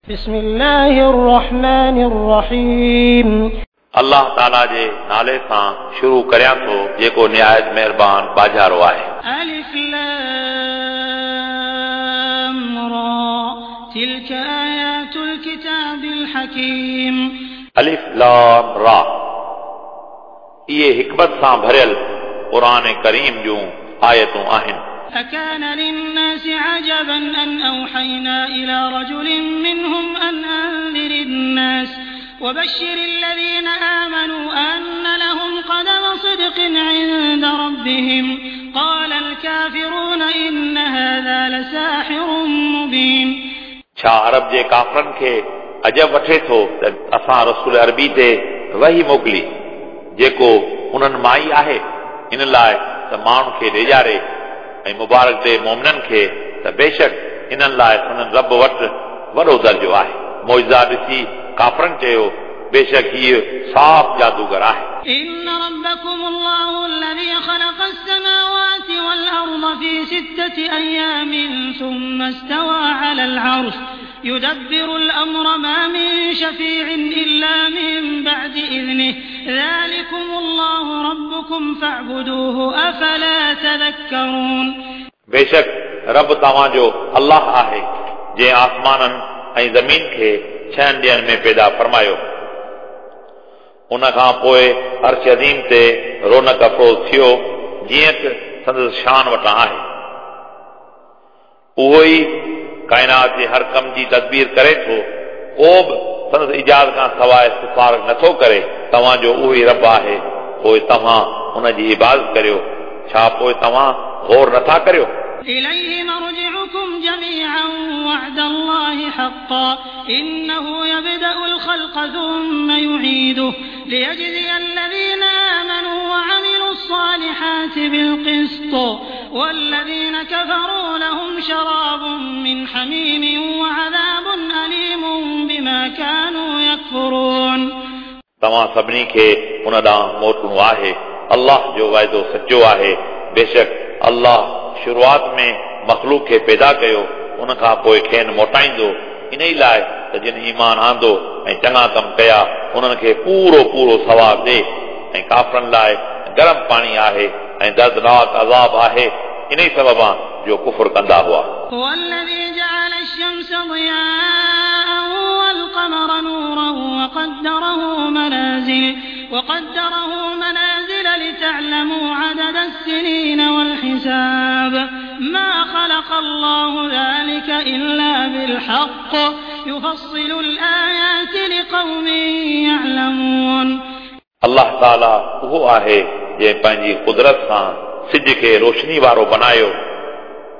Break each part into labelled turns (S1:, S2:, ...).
S1: بسم الله الرحمن الرحيم.
S2: अल्लाह ताला जे नाले सां शुरू करियां थो जेको निहायत महिरबान बाजारो आहे।
S1: ألف لام را تلك آيات الكتاب الحكيم.
S2: अलिफ लाम रा इहे हिकमत सां भरियल क़ुर करीम जूं आयतूं आहिनि।
S1: أكان للناس عجبا أن أوحينا إلى رجل منهم أن أنذر الناس وبشر الذين آمنوا أن لهم قدم صدق عند ربهم قال الكافرون إن هذا لساحر مبين.
S2: छा अरब जे काफ़रनि खे अजब वठे थो त असां रसूल अरबी ते वही मोकिली जेको उन्हनि मां ई आहे, इन लाइ त माण्हुनि खे ॾेजारे ऐं मुबारक ॾे मोमिननि खे त बेशक इन्हनि लाइ संदन रब वटि वॾो दर्जो आहे। मौजज़ा ॾिसी काफ़रनि चयो बेशक हीउ साफ़ जादूगर आहे।
S1: إن ربكم الله الذي خلق السماوات والأرض في 6 أيام ثم استوى على العرش يدبر الأمر ما من شفيع إلا من بعد إذنه ذلكم الله ربكم فاعبدوه أفلا تذكرون.
S2: बेशक रब तव्हांजो अल्लाह आहे जंहिं आसमाननि ऐं ज़मीन खे 6 ॾींहनि में पैदा फरमायो। उन खां पोइ अर्श अज़ीम ते रौनक अफ़रोज़ थियो जीअं त संदसि शान वटां आहे। उहो ई काइनात जे हर कम जी तदबीर करे थो, को बि संदसि इजाज़त खां सवाइ सिफारिश नथो करे। तव्हांजो उहो ई रब आहे, पोइ तव्हां उन जी इबादत करियो। छा पोइ तव्हां गौर नथा करियो?
S1: إليه مرجعكم جميعا وعد الله حقا إنه يبدأ الخلق ثم يعيده ليجزي الذين آمنوا وعملوا الصالحات بالقسط والذين كفروا لهم شراب من حميم وعذاب أليم بما كانوا يكفرون.
S2: तव्हां सभिनी खे उन ॾांहुं मोटणो आहे। अल्लाह जो वाइदो सचो आहे। बेशक अल्लाह शुरूआत में मख़लूक खे पैदा कयो, उन खां पोइ खेनि मोटाईंदो। इन ई लाइ त जिन ईमान आंदो ऐं चङा कम कया उन्हनि खे पूरो पूरो सवाब ॾे, ऐं काफ़रनि लाइ गरम पाणी आहे ऐं दर्दनाक अज़ाब आहे इन ई सबबां जो कुफुर कंदा हुआ।
S1: هو الذي جعل الشمس ضياء والقمر نورا وقدره منازل لتعلموا عدد السنين والحساب ما خلق الله ذلك إلا بالحق يفصل الآيات لقوم يعلمون.
S2: अल्लाह ताला उहो आहे जंहिं पंहिंजी कुदरत सां सिज खे रोशनी वारो बनायो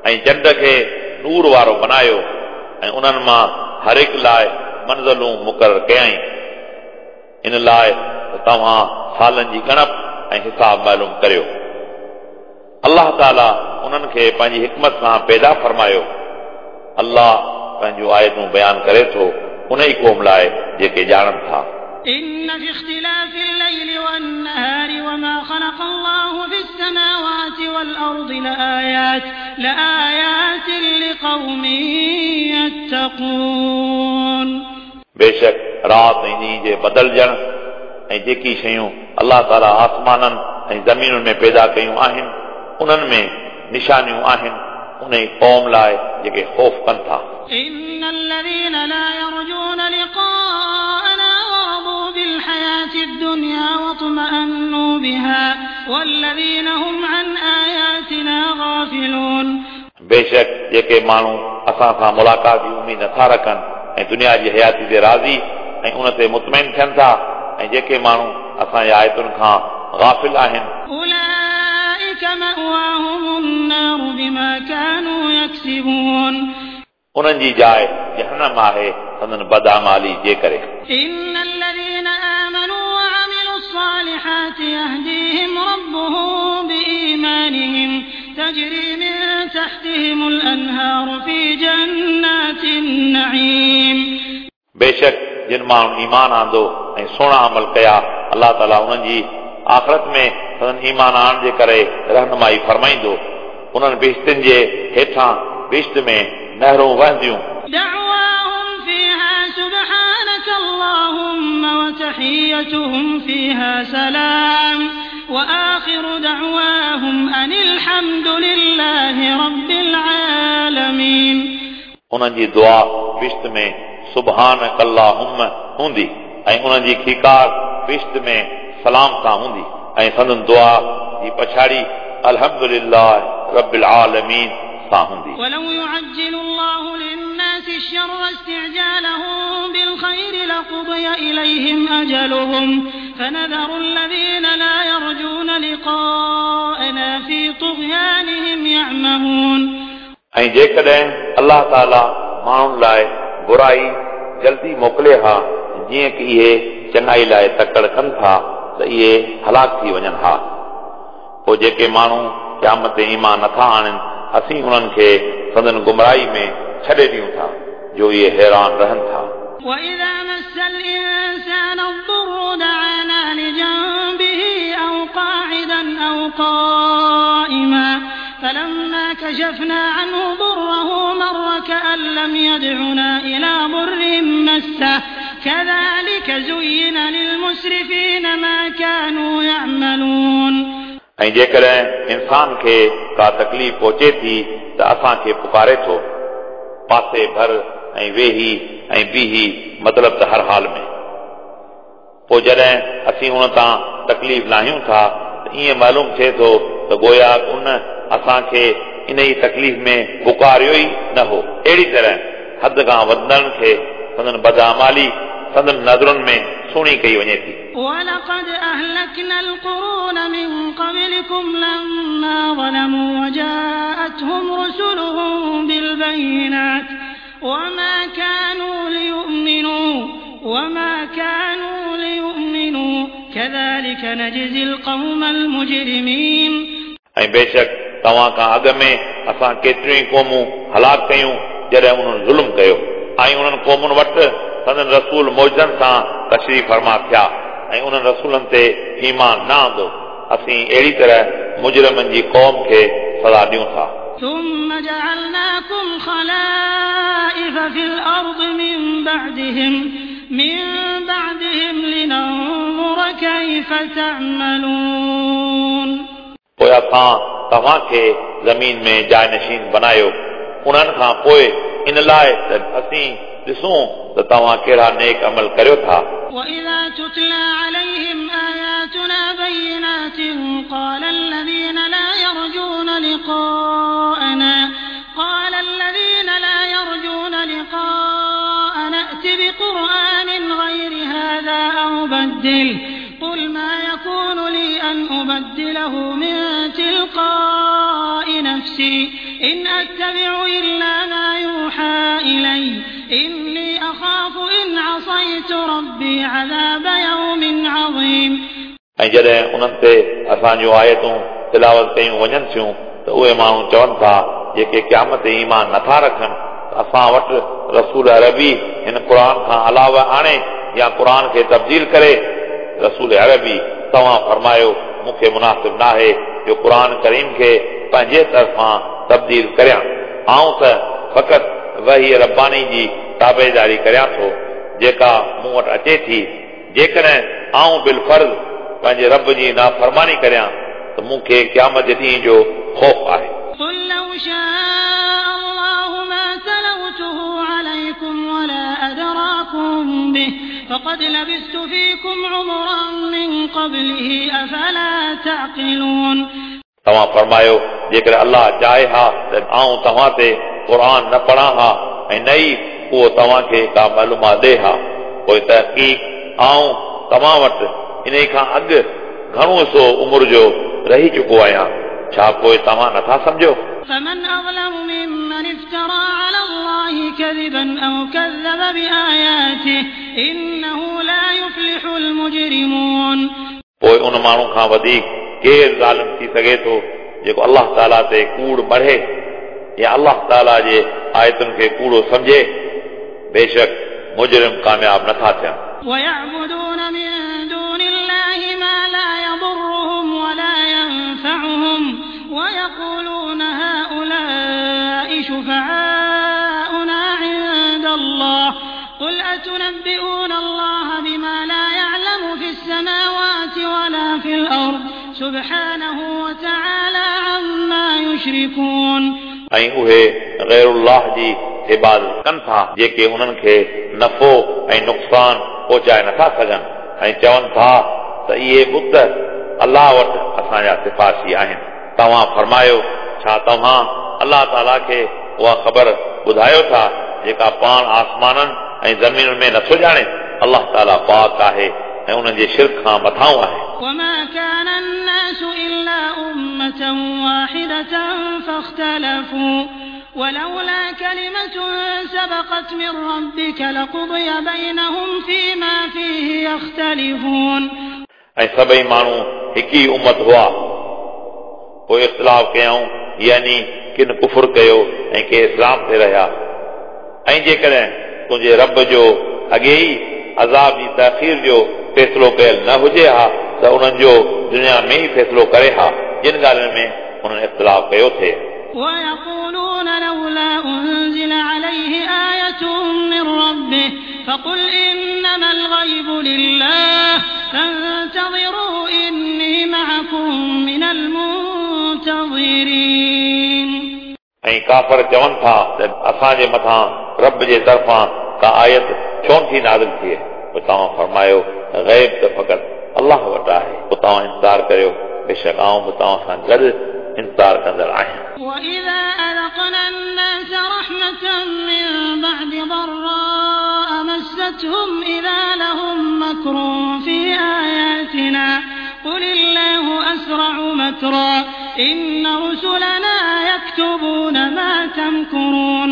S2: ऐं चंड खे नूर वारो बनायो ऐं उन्हनि मां हर हिकु लाइ मंज़िलूं मुक़ररु कयाईं, इन लाइ त तव्हां सालनि जी ॻणप ऐं हिसाब मालूम करियो। अल्लाह ताला उन्हनि खे पंहिंजी हिकमत सां पैदा फरमायो। अल्लाह पंहिंजूं आयतूं बयानु करे थो उन ई क़ौम लाइ जेके ॼाणनि था।
S1: إن في اختلاف الليل والنهار وما خلق الله في السماوات والأرض لآيات لقوم يتقون.
S2: बेशक राति ऐं ॾींहं जे बदिलजण ऐं जेकी शयूं अल्लाह ताला आसमाननि ऐं ज़मीनुनि में पैदा कयूं आहिनि उन्हनि में निशानियूं आहिनि उन ई क़ौम लाइ जेके ख़ौफ़ कनि था।
S1: إن الذين لا يرجون لقاءنا ورضوا بالحياة الدنيا واطمأنوا بها والذين هم عن آياتنا غافلون.
S2: बेशक जेके माण्हू असां सां मुलाक़ात जी उमेद नथा रखनि ऐं दुनिया जी हयाती ते राज़ी ऐं उन ते मुतमैन थियनि था ऐं जेके माण्हू असांजी आयतुनि खां गाफ़िल आहिनि
S1: أولئك مأواهم النار بما كانوا يكسبون.
S2: उन्हनि जी जाइ जहनम आहे संदन बदआमाली जे करे।
S1: إن الذين آمنوا وعملوا الصالحات يهديهم ربهم بإيمانهم تجري من تحتهم الأنهار في جنات النعيم.
S2: बेशक जिन माण्हुनि ईमान आंदो ऐं सुहिणा अमल कया अल्लाह ताला उन्हनि जी आख़िरत में संदन ईमान आणण जे करे रहनुमाई फरमाईंदो। उन्हनि बिश्तिनि जे हेठां बिश्त में नहरूं वहंदियूं।
S1: دعواهم فيها تحيتهم فيها سلام وآخر دعواهم أن الحمد لله رب العالمين.
S2: उन्हनि जी दुआ बिश्त में सुभानक अल्लाहुम्म हूंदी ऐं उन्हनि जी खीकार बिश्त में सलाम सां हूंदी ऐं संदन दुआ जी पछाड़ी अल्हम्दुलिल्लाह रब्बिल आलमीन सां हूंदी।
S1: ولو يعجل الله للناس الشر استعجالهم بالخير لقضي إليهم أجلهم فنذر الذين لا يرجون لقاءنا في طغيانهم يعمهون.
S2: ऐं जेकॾहिं अलाह ताला माण्हुनि लाइ बुराई जल्दी मोकिले हा जीअं की इहे चङाई लाइ तकड़ कनि था त इहे हलाक थी वञनि हा। पोइ जेके माण्हू क़यामत ते ईमान नथा आणनि असीं उन्हनि खे संदन गुमराही में छॾे ॾियूं था जो इहे हैरान रहनि था।
S1: وإذا مس الإنسان الضر دعانا لجنبه أو قاعدا أو قائما فلما كشفنا عنه ضره مر كأن لم يدعنا إلى ضر مسه كذلك زين للمسرفين ما كانوا يعملون.
S2: ऐं जेकॾहिं इंसान खे का तकलीफ़ पहुचे थी त असांखे पुकारे थो पासे भर ऐं वेही ऐं बीही, मतिलबु त हर हाल में। पोइ जॾहिं असीं उन तां तकलीफ़ लाहियूं था त ईअं मालूम थिए थो त गोया उन असांखे इन ई तकलीफ़ में पुकारियो ई न हो। अहिड़ी तरह हद खां वधंदड़नि खे संदन बदआमाली संदन नज़रुनि में सुहिणी कई वञे थी।
S1: ولقد أهلكنا القرون من قبلكم لما ظلموا وجاءتهم رسلهم بالبينات وما كانوا ليؤمنوا كذلك نجزي القوم المجرمين.
S2: ऐं बेशक तव्हां खां अॻु में असां केतिरियूं ई क़ौमूं हलाक कयूं जॾहिं उन्हनि ज़ुल्म कयो ऐं उन्हनि क़ौमुनि वटि संदन रसूल मौजनि सां तशरीफ़ फरमा थिया ऐं उन्हनि रसूलनि ते ईमान न आंदो। असीं अहिड़ी तरह मुजरिमनि जी क़ौम खे सज़ा ॾियूं था।
S1: ثم جعلناكم خلائف في الأرض من بعدهم لننظر كيف تعملون.
S2: पोइ असां तव्हांखे ज़मीन में जायनशीन बनायो उन्हनि खां पोइ इन लाइ त असीं ॾिसूं त तव्हां कहिड़ा नेक अमल करियो था।
S1: وإذا تتلى عليهم آياتنا بينات قال الذين لا يرجون لقاءنا ائت بقرآن غير هذا أو بدله قل ما يكون لي أن أبدله من تلقاء نفسي إن أتبع إلا ما يوحى إلي إني أخاف إن عصيت ربي عذاب يوم عظيم.
S2: ऐं जॾहिं उन्हनि ते असांजूं आयतूं तिलावत कयूं वञनि थियूं त उहे माण्हू चवनि था जेके क़यामत ते ईमान नथा रखनि त असां वटि रसूल अरबी हिन क़ुर खां अलावा आणे या क़ुर खे तब्दील करे। रसूल अरबी तव्हां फरमायो मूंखे मुनासिब नाहे जो क़ुर करीम खे पंहिंजे तरफ़ां तब्दील करियां। आउं त फ़क़ति वही रब्बानी जी ताबेदारी करियां थो जेका मूं वटि अचे थी। जेकॾहिं आउं बिलफर्ज़ पंहिंजे रब जी नाफ़रमानी करियां त मूंखे क़यामत जे ॾींहं जो ख़ौफ़ आहे।
S1: قل لو شاء الله ما تلوته عليكم ولا أدراكم به فقد لبثت فيكم عمرا من قبله أفلا تعقلون.
S2: तव्हां फरमायो जेकॾहिं अलाह चाहे हा त आउं तव्हां ते क़ुर न पढ़ां हा ऐं न ई उहो तव्हांखे का मालूमात ॾे हा। पोइ तहक़ीक़ आउं तव्हां वटि इन खां अॻु घणो हिसो उमिरि जो रही चुको आहियां, छा पोइ तव्हां नथा सम्झो?
S1: فمن أظلم ممن افترى على الله كذبا أو كذب بآياته إنه لا يفلح المجرمون.
S2: पोइ उन माण्हू खां वधीक केरु ज़ालिम थी सघे थो जेको अलाह ताला ते कूड़ मढ़े या अलाह ताला जे आयतुनि खे कूड़ो सम्झे। बेशक मुजरिम कामयाब नथा थियनि।
S1: ويعبدون من دون الله ما لا يضرهم ولا ينفعهم ويقولون هؤلاء شفعاؤنا عند الله قل أتنبئون الله بما لا يعلم السماوات ولا في الأرض سبحانه وتعالى عما يشركون.
S2: ऐं उहे ग़ैरुल्लाह जी इबादत कनि था जेके उन्हनि खे नफ़ो ऐं नुक़सानु पहुचाए नथा सघनि ऐं चवनि था त इहे बुत अलाह वटि असांजा सिफारशी आहिनि। तव्हां फरमायो, छा तव्हां अलाह ताला खे उहा ख़बर ॿुधायो था जेका पाण आसमाननि ऐं ज़मीनुनि में नथो ॼाणे? अलाह ताला पाक आहे ऐं उन्हनि जे शिर्क खां मथाऊं आहे।
S1: وما كان الناس إلا أمة واحدة فاختلفوا ولولا كلمة سبقت من ربك لقضي بينهم فيما فيه يختلفون.
S2: ऐं सभई माण्हू हिकु ई उमत हुआ, पोइ इख़्तिलाफ़ कयऊं, यानी किन कुफुर कयो ऐं के इस्लाम ते रहिया। ऐं जेकॾहिं तुंहिंजे रब जो अॻे ई अज़ाब जी तख़ीर जो फ़ैसिलो कयल न हुजे हा त उन्हनि जो दुनिया में ई फ़ैसिलो करे हा जिन ॻाल्हियुनि में उन्हनि इख़्तिलाफ़ कयो थिए।
S1: ويقولون لولا أنزل عليه آية من ربه فقل إنما الغيب لله فانتظروا إني معكم من المنتظرين.
S2: ऐं काफ़र चवनि था त असांजे मथां रब जे तरफ़ां का आयत छो नथी नाज़िल थिए? पोइ तव्हां फरमायो, ग़ैब त फ़क़ति अलाह वटि आहे, पोइ तव्हां इंतज़ार करियो, बेशक आउं बि तव्हां सां गॾु इंतज़ार कंदड़ आहियां।
S1: وإذا أذقنا الناس رحمة من بعد ضراء مستهم إذا لهم مكر في آياتنا قل الله أسرع مكرا إن رسلنا يكتبون ما تمكرون.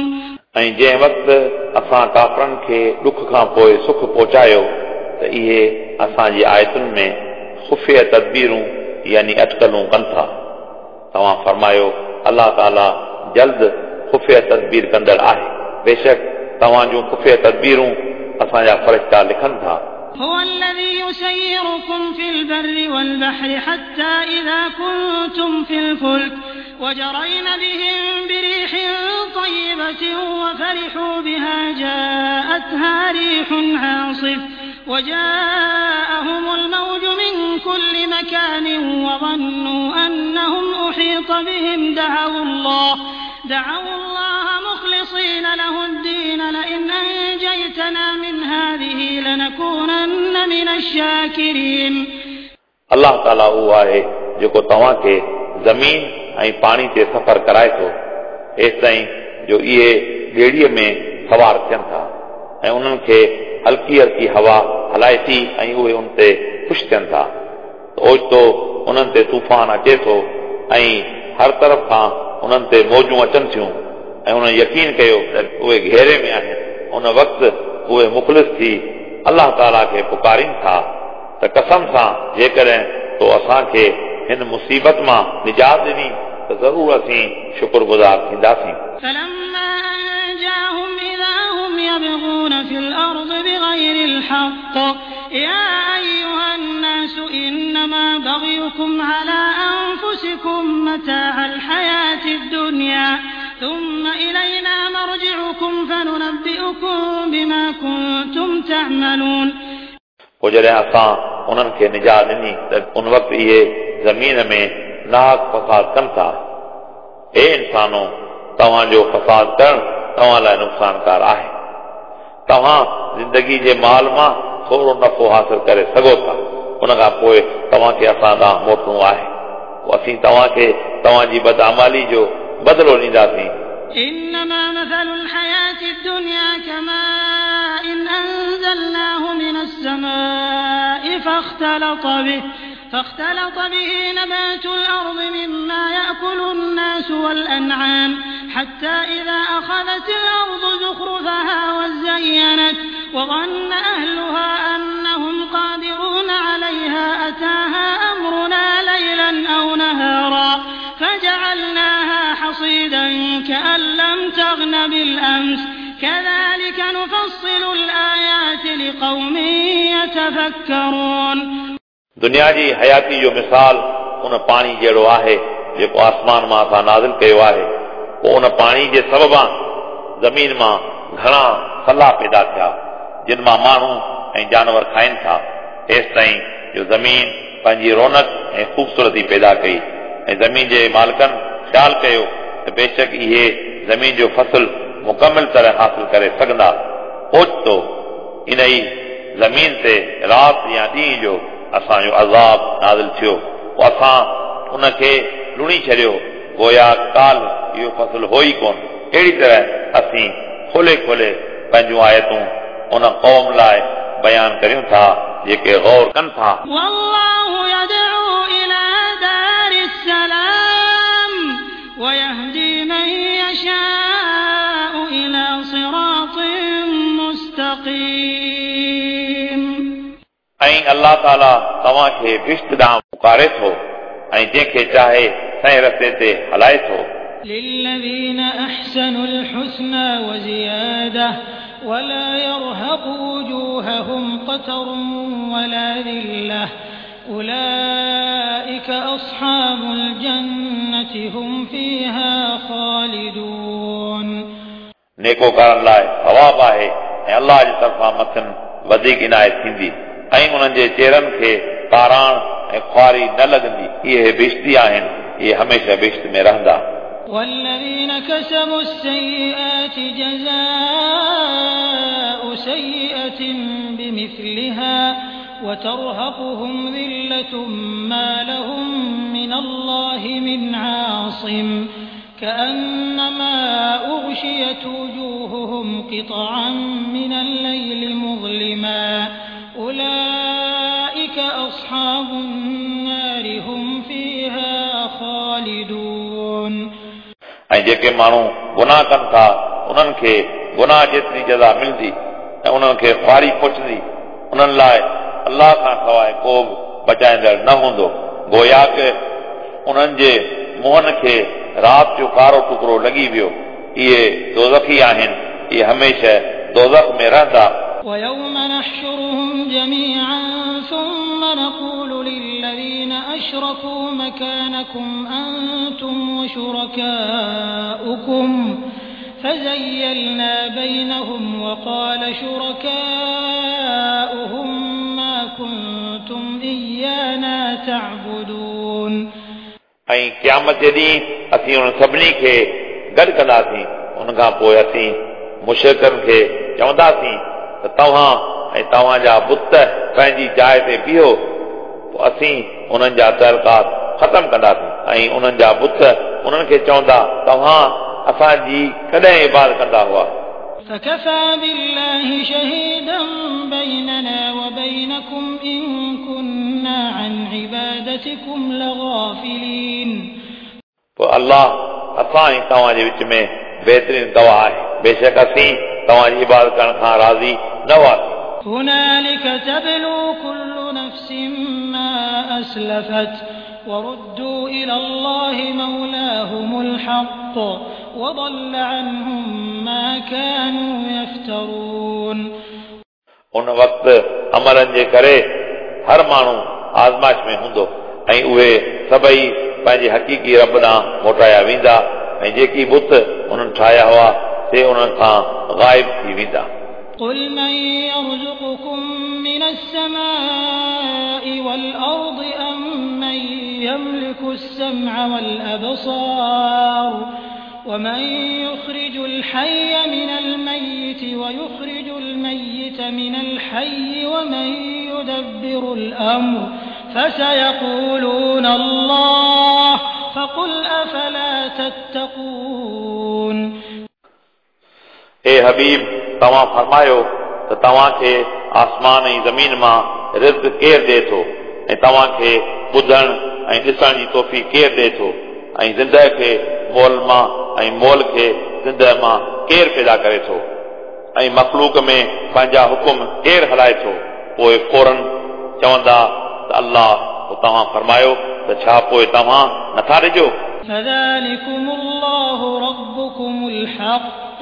S2: ऐं जंहिं वक़्तु असां काफ़रनि खे ॾुख खां पोइ सुख पहुचायो त इहे असांजी आयतुनि में ख़ुफ़िया तदबीरूं यानी अटकलूं कनि था। तव्हां फरमायो, अलाह ताला जल्द ख़ुफ़िया तदबीर कंदड़ आहे, बेशक तव्हां जूं ख़ुफ़िया तदबीरूं असांजा फ़रिश्ता लिखनि था।
S1: هو الذي يسيركم في البر والبحر حتى إذا كنتم في الفلك وجرين بهم بريح طيبة وفرحوا بها جاءتها ريح عاصف وجاءهم الموج من كل مكان وظنوا أنهم أحيط بهم دعوا الله مخلصين له الدين لئن أنجيتنا من هذه لنكونن من الشاكرين.
S2: अलाह ताला उहो आहे जेको तव्हांखे ज़मीन ऐं पाणी ते सफ़र कराए थो एसि ताईं जो इहे ॿेड़ीअ में सवार थियनि था ऐं उन्हनि खे हल्की हल्की हवा हलाए थी ऐं उहे उन ते ख़ुशि थियनि था। त ओचितो उन्हनि ते तूफ़ान अचे थो ऐं हर तरफ़ खां उन्हनि ते मौजूं अचनि थियूं ऐं उन्हनि यकीन कयो त उहे घेरे में आहिनि। उन वक़्तु उहे मुख़लिस थी अलाह ताला खे पुकारनि था त कसम सां जेकॾहिं तो असांखे हिन मुसीबत मां निजात ॾिनी त ज़रूरु असीं शुक्रगुज़ार थींदासीं।
S1: فلما أنجاهم إذا هم يبغون في الأرض بغير الحق يا أيها الناس إنما بغيكم على أنفسكم متاع الحياة الدنيا ثم إلينا مرجعكم فننبئكم بما كنتم تعملون.
S2: पोइ जॾहिं असां उन्हनि खे निजात ॾिनी त उन वक़्तु इहे ज़मीन में नाहक फसाद कनि था। हे इंसानो, तव्हांजो फसाद करणु तव्हां लाइ नुक़सानकार आहे। तव्हां ज़िंदगी जे माल मां थोरो नफ़ो हासिल करे सघो था, उन खां पोइ तव्हांखे असां ॾांहुं मोटणो आहे, पोइ असीं तव्हांखे तव्हांजी बदआमाली जो बदिलो ॾींदासीं।
S1: إنما مثل الحياة الدنيا كماء أنزلناه من السماء فاختلط به نبات الأرض مما يأكل الناس والأنعام حتى إذا أخذت الأرض زخرفها وزينت وظن أهلها أنهم قادرون عليها أتاها أمرنا ليلا أو نهارا فجعلناها حصيدا كأن لم تغن بالأمس كذلك نفصل الآيات لقوم يتفكرون.
S2: दुनिया जी हयाती जो मिसाल उन पाणी जहिड़ो आहे जेको आसमान मां असां नाज़िल कयो आहे। पोइ उन पाणी जे सबबां ज़मीन मां घणा सला पैदा थिया जिन मां माण्हू ऐं जानवर खाइनि था, एसि ताईं जो ज़मीन पंहिंजी रौनक ऐं ख़ूबसूरती पैदा कई ऐं ज़मीन जे मालिकनि ख़्यालु कयो त बेशक इहे ज़मीन जो फ़सल मुकमल तरह हासिल करे सघंदा। ओचितो इन ई ज़मीन ते राति या ॾींहुं जो असांजो अज़ाब नाज़िल थियो, पोइ असां उनखे लुणी छॾियो, गोया काल इहो फ़सल हो ई कोन। अहिड़ी तरह असीं खोले खोले पंहिंजूं आयतूं उन क़ौम लाइ बयान करियूं था जेके गौर कनि था।
S1: والله يدعو إلى دار السلام ويهدي من يشاء إلى صراط مستقيم।
S2: ऐं अलाह ताला तव्हांखे बिश्त ॾांहुं पुकारे थो ऐं जंहिंखे चाहे सही रस्ते ते हलाए थो।
S1: للذين أحسنوا الحسنى وزيادة ولا يرهق وجوههم قتر ولا ذلة أولئك أصحاب الجنة هم فيها خالدون।
S2: नेकोकारनि लाइ सवाब आहे ऐं अलाह जे तरफ़ां मथनि वधीक इनायत थींदी ऐं उन्हनि जे चेहरनि खे काराण ऐं ख़ुआरी न लॻंदी। इहे बिश्ती आहिनि, इहे हमेशह बिश्त में रहंदा।
S1: والذين كسبوا السيئات جزاء سيئة بمثلها وترهقهم ذلة ما لهم من الله من عاصم كأنما أغشيت وجوههم قطعا من الليل مظلما أولئك أصحاب النار هم فيها خالدون।
S2: ऐं जेके माण्हू गुनाह कनि था उन्हनि खे गुनाह जेतिरी जज़ा मिलंदी ऐं उन्हनि खे ख़ुआरी पहुचंदी, उन्हनि लाइ अलाह खां सवाइ को बि बचाईंदड़ न हूंदो। गोया कि उन्हनि जे मुंहनि खे राति जो कारो टुकड़ो लॻी वियो। इहे दोज़खी आहिनि, इहे हमेशह दोज़ख में रहंदा।
S1: ويوم نحشرهم جميعا ثم نقول للذين أشركوا مكانكم أنتم وشركاؤكم فزيلنا بينهم وقال شركاؤهم ما كنتم إيانا تعبدون।
S2: ऐं क़यामत जे ॾींहुं असीं उन्हनि सभिनी खे गॾु कंदासीं। उन खां पोइ असीं मुशरिकनि खे चवंदासीं त तव्हां ऐं तव्हांजा बुत पंहिंजी जाइ ते बीहो, पोइ असीं उन्हनि जा तअलुकात ख़तमु कंदासीं। ऐं उन्हनि जा बुत उन्हनि खे चवंदा, तव्हां असांजी कॾहिं इबादत कंदा हुआ।
S1: فكفى بالله شهيدا بيننا وبينكم إن كنا عن عبادتكم لغافلين।
S2: पोइ अलाह असां ऐं तव्हांजे विच में बहितरीन गवाह आहे, बेशक असीं तव्हांजी इबादत करण खां राज़ी न हुआसीं।
S1: هنالك تبلو كل نفس ما أسلفت وردوا إلى الله مولاهم الحق وضل عنهم ما كانوا يفترون।
S2: उन वक़्तु अमलनि जे करे हर माण्हू आज़माइश में हूंदो ऐं उहे सभई पंहिंजे हक़ीक़ी रब ॾांहुं मोटाया वेंदा ऐं जेकी बुत उन्हनि ठाहिया हुआ से उन्हनि खां ग़ाइब थी वेंदा।
S1: قل من يرزقكم من السماء والأرض أم من يملك السمع والأبصار ومن يخرج الحي من الميت ويخرج الميت من الحي ومن يدبر الأمر فسيقولون الله فقل أفلا تتقون।
S2: ए हबीब, तव्हां फरमायो त तव्हांखे आसमान ऐं ज़मीन मां रिज़्क केरु ॾिए थो ऐं तव्हांखे ॿुधण ऐं ॾिसण जी तौफ़ीक़ केरु ॾिए थो ऐं ज़िंदह खे मोल मां ऐं मोल खे ज़िंदह मां केरु पैदा करे थो ऐं मख़लूक में पंहिंजा हुकुम केरु हलाए थो? पोइ फ़ौरन चवंदा त अलाह। पोइ तव्हां फरमायो त छा पोइ तव्हां नथा ॾिजो?
S1: فذلكم الله ربكم الحق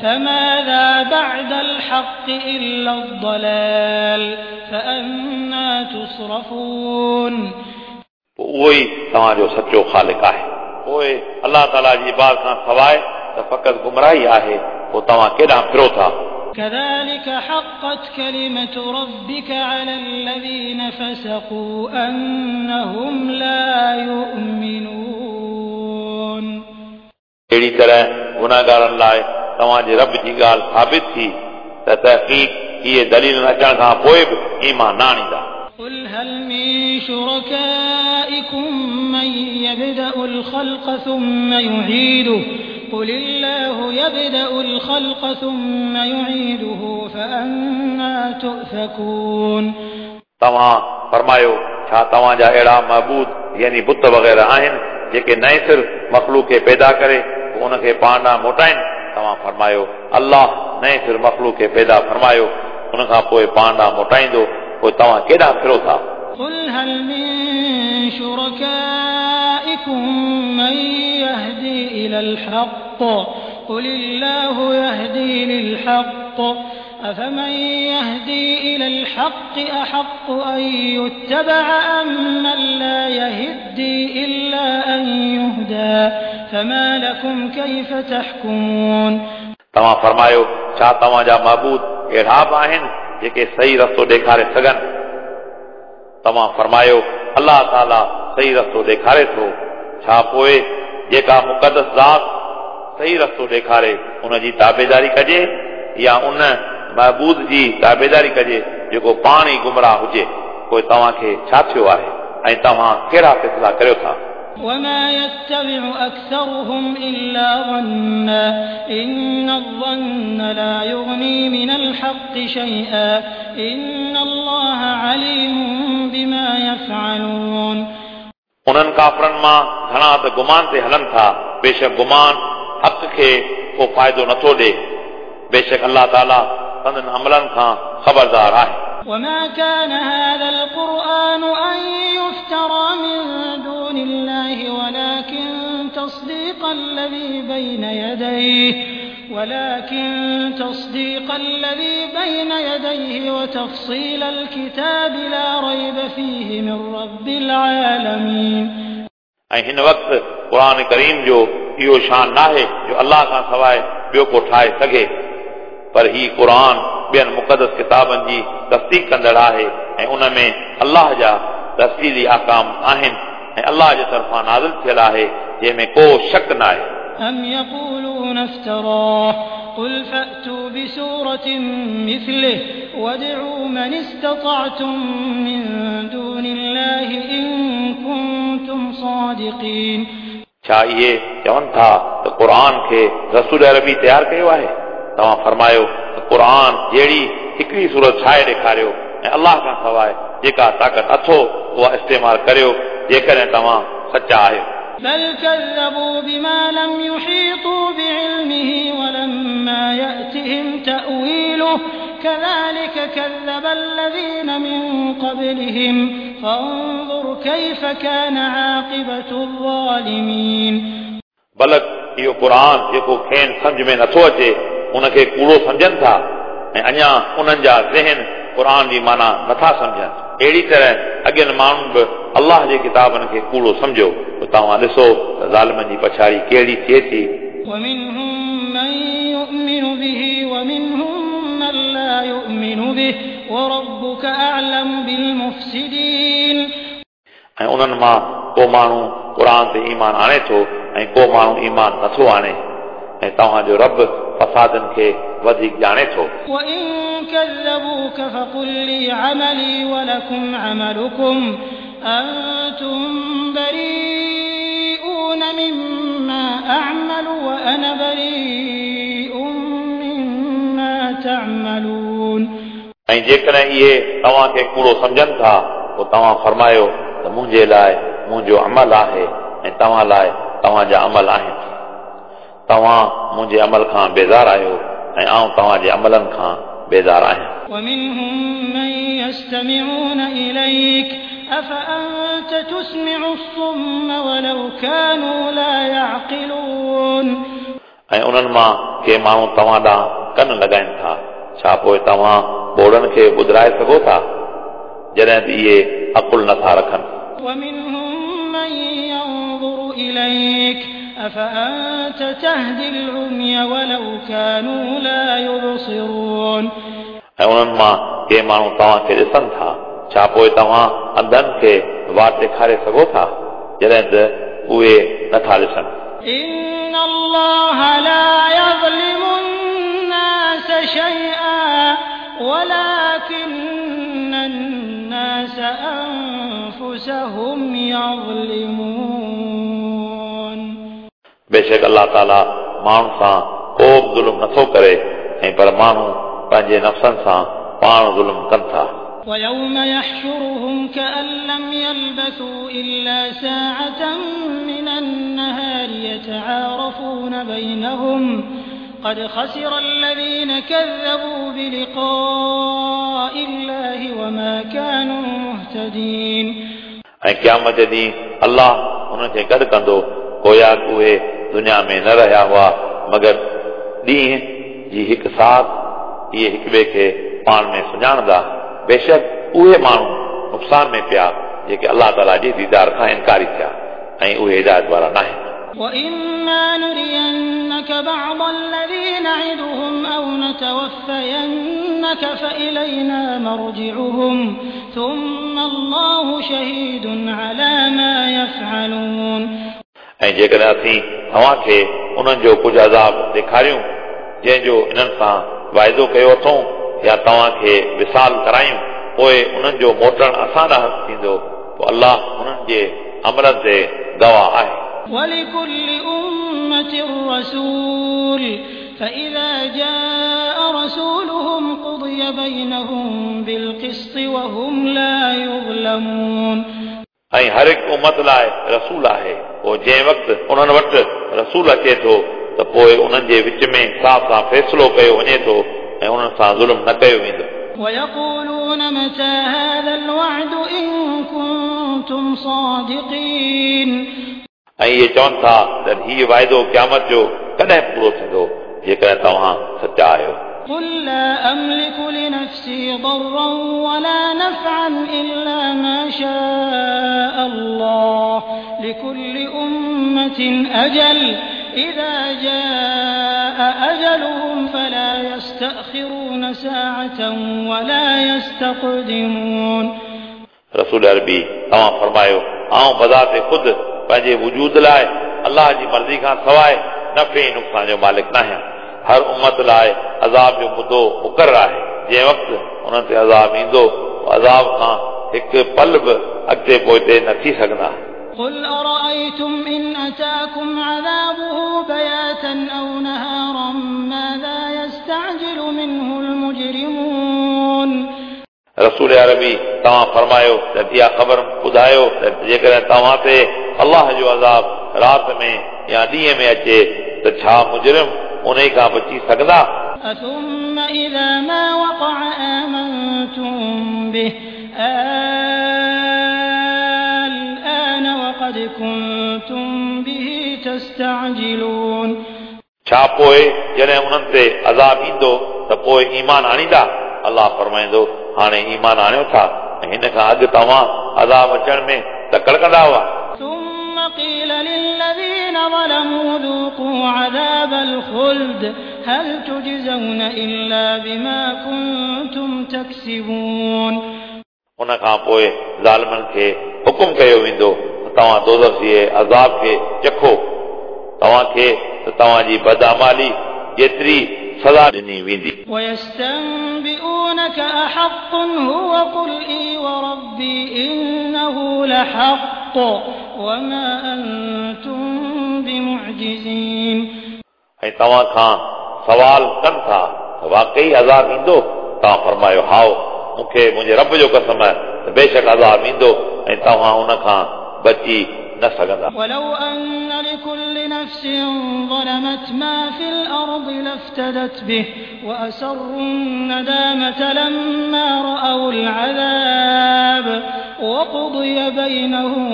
S1: فماذا بعد الحق إلا الضلال فأنى تصرفون।
S2: उहो ई तव्हांजो सचो ख़ालिक आहे। पोइ अलाह ताला जी इबादत खां सवाइ त फ़क़ति गुमराही आहे, पोइ तव्हां केॾांहुं फिरो था?
S1: كذلك حقت كلمة ربك على الذين فسقوا أنهم لا يؤمنون.
S2: अहिड़ी तरह गुनाहगारनि लाइ तव्हांजे रब जी ॻाल्हि साबित थी त तहक़ीक़ इहे दलील अचण खां पोइ बि ईमान न आणींदा.
S1: قل هل من شركائكم من يبدأ الخلق ثم يعيده قل الله يبدأ الخلق ثم يعيده فأنى تؤفكون.
S2: तव्हां फरमायो, छा तव्हांजा अहिड़ा महबूद यानी बुत वग़ैरह आहिनि जेके नए सिर मख़लूक खे पैदा करे पोइ उनखे पाण ॾांहुं मोटाइनि? तव्हां फरमायो, अल्लाह नए सिर मख़लूक खे पैदा फरमायो, उन खां पोइ पाण ॾांहुं मोटाईंदो, पोइ तव्हां केॾां फिरो था?
S1: قل هل من شركائكم من يهدي إلى الحق قل الله يهدي للحق أفمن يهدي إلى الحق أحق أن يتبع أم من لا يهدي إلا أن يهدى فما لكم كيف تحكمون.
S2: तव्हां फरमायो, छा तव्हांजा महबूद अहिड़ा बि आहिनि जेके सही रस्तो ॾेखारे सघनि? तव्हां फरमायो, अल्लाह ताला सही रस्तो ॾेखारे थो। छा पोइ जेका मुक़दस ज़ात सही रस्तो ॾेखारे उनजी ताबेदारी कजे या उन महबूद जी ताबेदारी कजे जेको पाण ई गुमराह हुजे? पोइ तव्हांखे छा थियो आहे ऐं तव्हां कहिड़ा फ़ैसिला करियो था?
S1: وما يتبع أكثرهم إلا ظنا إن الظن لا يغني من الحق شيئا إن الله عليم بما يفعلون.
S2: उन्हनि काफ़रनि मां घणा त गुमान ते हलनि था, बेशक गुमान हक़ खे को फ़ाइदो नथो ॾिए, बेशक अल्लाह ताला संदन अमलनि खां ख़बरदार आहे.
S1: وما كان هذا القرآن أن يفترى من دون الله ولكن تصديق الذي بين يديه وتفصيل الكتاب لا ريب فيه من رب العالمين.
S2: ऐं हिन वक़्तु क़ुर करीम जो इहो शान नाहे जो अल्लाह खां सवाइ ॿियो को ठाहे सघे, पर ही क़ुर ॿियनि मुक़दस किताबनि जी तस्दीक कंदड़ आहे ऐं उन में अल्लाह जा तफ़सीली अहकाम आहिनि ऐं अल्लाह जे तरफ़ां नाज़िल थियल आहे जंहिंमें को शक न आहे.
S1: أم يقولون افتراه قل فأتوا بسورة مثله وادعوا من استطعتم من دون الله إن كنتم صادقين.
S2: छा इहे चवनि था त क़ुर खे रसूल अरबी तयारु कयो आहे? तव्हां फरमायो त क़ुर जहिड़ी हिकिड़ी सूरत ठाहे ॾेखारियो ऐं अल्लाह खां सवाइ जेका ताक़त अथो उहा इस्तेमालु करियो जेकॾहिं तव्हां सचा आहियो.
S1: بل كذبوا بما لم يحيطوا بعلمه ولما يأتهم تأويله كذلك كذب الذين من قبلهم فانظر كيف كان عاقبة الظالمين.
S2: बलक इहो क़ुर जेको खेनि सम्झ में नथो अचे उनखे कूड़ो सम्झनि था ऐं अञा उन्हनि जा ज़हन क़ुर जी माना नथा सम्झनि। अहिड़ी तरह अॻियनि माण्हुनि बि अल्लाह जे किताबनि खे कूड़ो सम्झो, त तव्हां ॾिसो त ज़ालिमनि जी पछाड़ी कहिड़ी थिए थी।
S1: ومنهم من يؤمن به ومنهم من لا يؤمن به وربك أعلم بالمفسدين.
S2: ऐं उन्हनि मां को माण्हू क़ुर ते ईमान आणे थो ऐं को माण्हू ईमान नथो आणे, ऐं तव्हांजो रब फसादनि खे वधीक ॼाणे थो।
S1: وإن كذبوك فقل لي عملي ولكم عملكم أنتم بريئون مما أعمل وأنا بريء مما تعملون.
S2: ऐं जेकॾहिं इहे तव्हांखे कूड़ो सम्झनि था पोइ तव्हां फरमायो त मुंहिंजे लाइ मुंहिंजो अमल आहे ऐं तव्हां लाइ तव्हांजा अमल आहिनि। तव्हां मुंहिंजे अमल खां बेज़ार आहियो ऐं आउं तव्हांजे अमलनि खां बेज़ार आहियां।
S1: ومنهم من يستمعون إليك أفأنت تسمع الصم ولو كانوا لا يعقلون.
S2: ऐं उन्हनि मां के माण्हू तव्हां ॾांहुं कन लॻाइनि था, छा पोइ तव्हां ॿोड़नि खे ॿुधाए सघो था जॾहिं त इहे अकुल नथा रखनि?
S1: ومنهم من ينظر إليك أفأنت تهدي العمي ولو كانوا لا يبصرون.
S2: ऐं उन्हनि मां के माण्हू तव्हांखे ॾिसनि था, छा पोइ तव्हां अंधनि खे वाट ॾेखारे सघो था जॾहिं त उहे नथा ॾिसनि?
S1: إن الله لا يظلم الناس شيئا ولكن الناس أنفسهم يظلمون.
S2: बेशक अलाह ताला माण्हुनि सां को बि ज़ुल्म नथो करे ऐं पर माण्हू पंहिंजे नफ़्सनि सां पाण ज़ुल्म कनि था।
S1: ويوم يحشرهم كأن لم يلبثوا إلا ساعة من النهار يتعارفون بينهم قد خسر الذين كذبوا بلقاء الله وما كانوا مهتدين.
S2: ऐं क़यामत जे ॾींहुं अलाह उन्हनि खे गॾु कंदो, गोया उहे दुनिया में न रहिया हुआ मगर ॾींहं जी हिकु साथ इहे हिक ॿिए खे पाण में सुञाणंदा। बेशक उहे माण्हू नुक़सान में पिया जेके अलाह ताला जे दीदार खां इनकारी थिया ऐं उहे हिदायत वारा न आहिनि।
S1: وإما نرينك بعض الذي نعدهم أو نتوفينك فإلينا مرجعهم ثم الله شهيد على ما يفعلون.
S2: ऐं जेकॾहिं असीं तव्हांखे उन्हनि जो कुझु अज़ाब ॾेखारियूं जंहिंजो इन्हनि सां वाइदो कयो अथऊं या तव्हांखे विसाल करायूं, पोइ उन्हनि जो मोटणु असां ॾांहुं थींदो, पोइ अलाह उन्हनि जे अमलनि ते गवाह आहे।
S1: ولكل أمة رسول فإذا جاء رسولهم قضي بينهم بالقسط وهم لا يظلمون.
S2: ऐं हर हिकु उमत लाइ रसूल आहे, पोइ जंहिं वक़्तु उन्हनि वटि रसूल अचे थो त पोइ उन्हनि जे विच में इंसाफ़ सां फ़ैसिलो कयो वञे थो ऐं उन्हनि सां ज़ुल्म न कयो वेंदो।
S1: ويقولون متى هذا الوعد إن كنتم صادقين.
S2: ऐं इहे चवनि था त हीउ वाइदो क़यामत जो कॾहिं पूरो थींदो जेकॾहिं तव्हां सचा आहियो।
S1: قل لا أملك لنفسي ضرا ولا نفعا إلا ما شاء الله لكل أمة أجل إذا جاء أجلهم فلا يستأخرون ساعة ولا يستقدمون.
S2: रसूल अरबी तव्हां फरमायो, आउं बज़ात ख़ुदि पंहिंजे वजूद लाइ अलाह जी मर्ज़ी खां सवाइ नफ़े ऐं नुक़सान जो मालिक न आहियां। हर उमत लाइ अज़ाब जो मुदो मुक़ररु आहे, जंहिं वक़्तु उन्हनि ते अज़ाब ईंदो अज़ाब खां हिकु पल बि अॻिते पोइते न थी सघंदा।
S1: قل أرأيتم إن أتاكم عذابه بياتا أو نهارا ماذا يستعجل منه المجرمون.
S2: रसूल अरबी तव्हां फरमायो त इहा ख़बर ॿुधायो त जेकॾहिं तव्हां ते अलाह जो अज़ाब राति में या ॾींहं में अचे त छा मुजरिम उन खां बची सघंदा?
S1: ثم إذا ما وقع آمنتم به الآن وقد كنتم به تستعجلون.
S2: छा पोइ जॾहिं उन्हनि ते अज़ाब ईंदो त पोइ ईमान आणींदा? अलाह फरमाईंदो, हाणे ईमान आणियो था ऐं हिन खां अॻु तव्हां अज़ाब अचण में तकड़ कंदा हुआ।
S1: ثم قيل للذين ظلموا ذوقوا عذاب الخلد هل تجزون إلا بما كنتم تكسبون.
S2: उन खां पोइ ज़ालिमनि खे हुकुम कयो वेंदो त तव्हां दोज़ख जे अज़ाब खे चखो, तव्हांखे त तव्हांजी बदअमाली जेतिरी सज़ा ॾिनी वेंदी।
S1: ويستنبئونك أحق هو قل إي وربي إنه لحق وما أنتم بمعجزين.
S2: ऐं तव्हां खां सवाल कनि था त वाकई अज़ाब ईंदो? तव्हां फरमायो, हाओ, मूंखे मुंहिंजे रब जो कसम आहे त बेशक अज़ाब ईंदो ऐं तव्हां उन खां बची न सघंदा।
S1: ولو أن لكل نفس ظلمت ما في الأرض لافتدت به وأسروا الندامة لما رأوا العذاب وقضي بينهم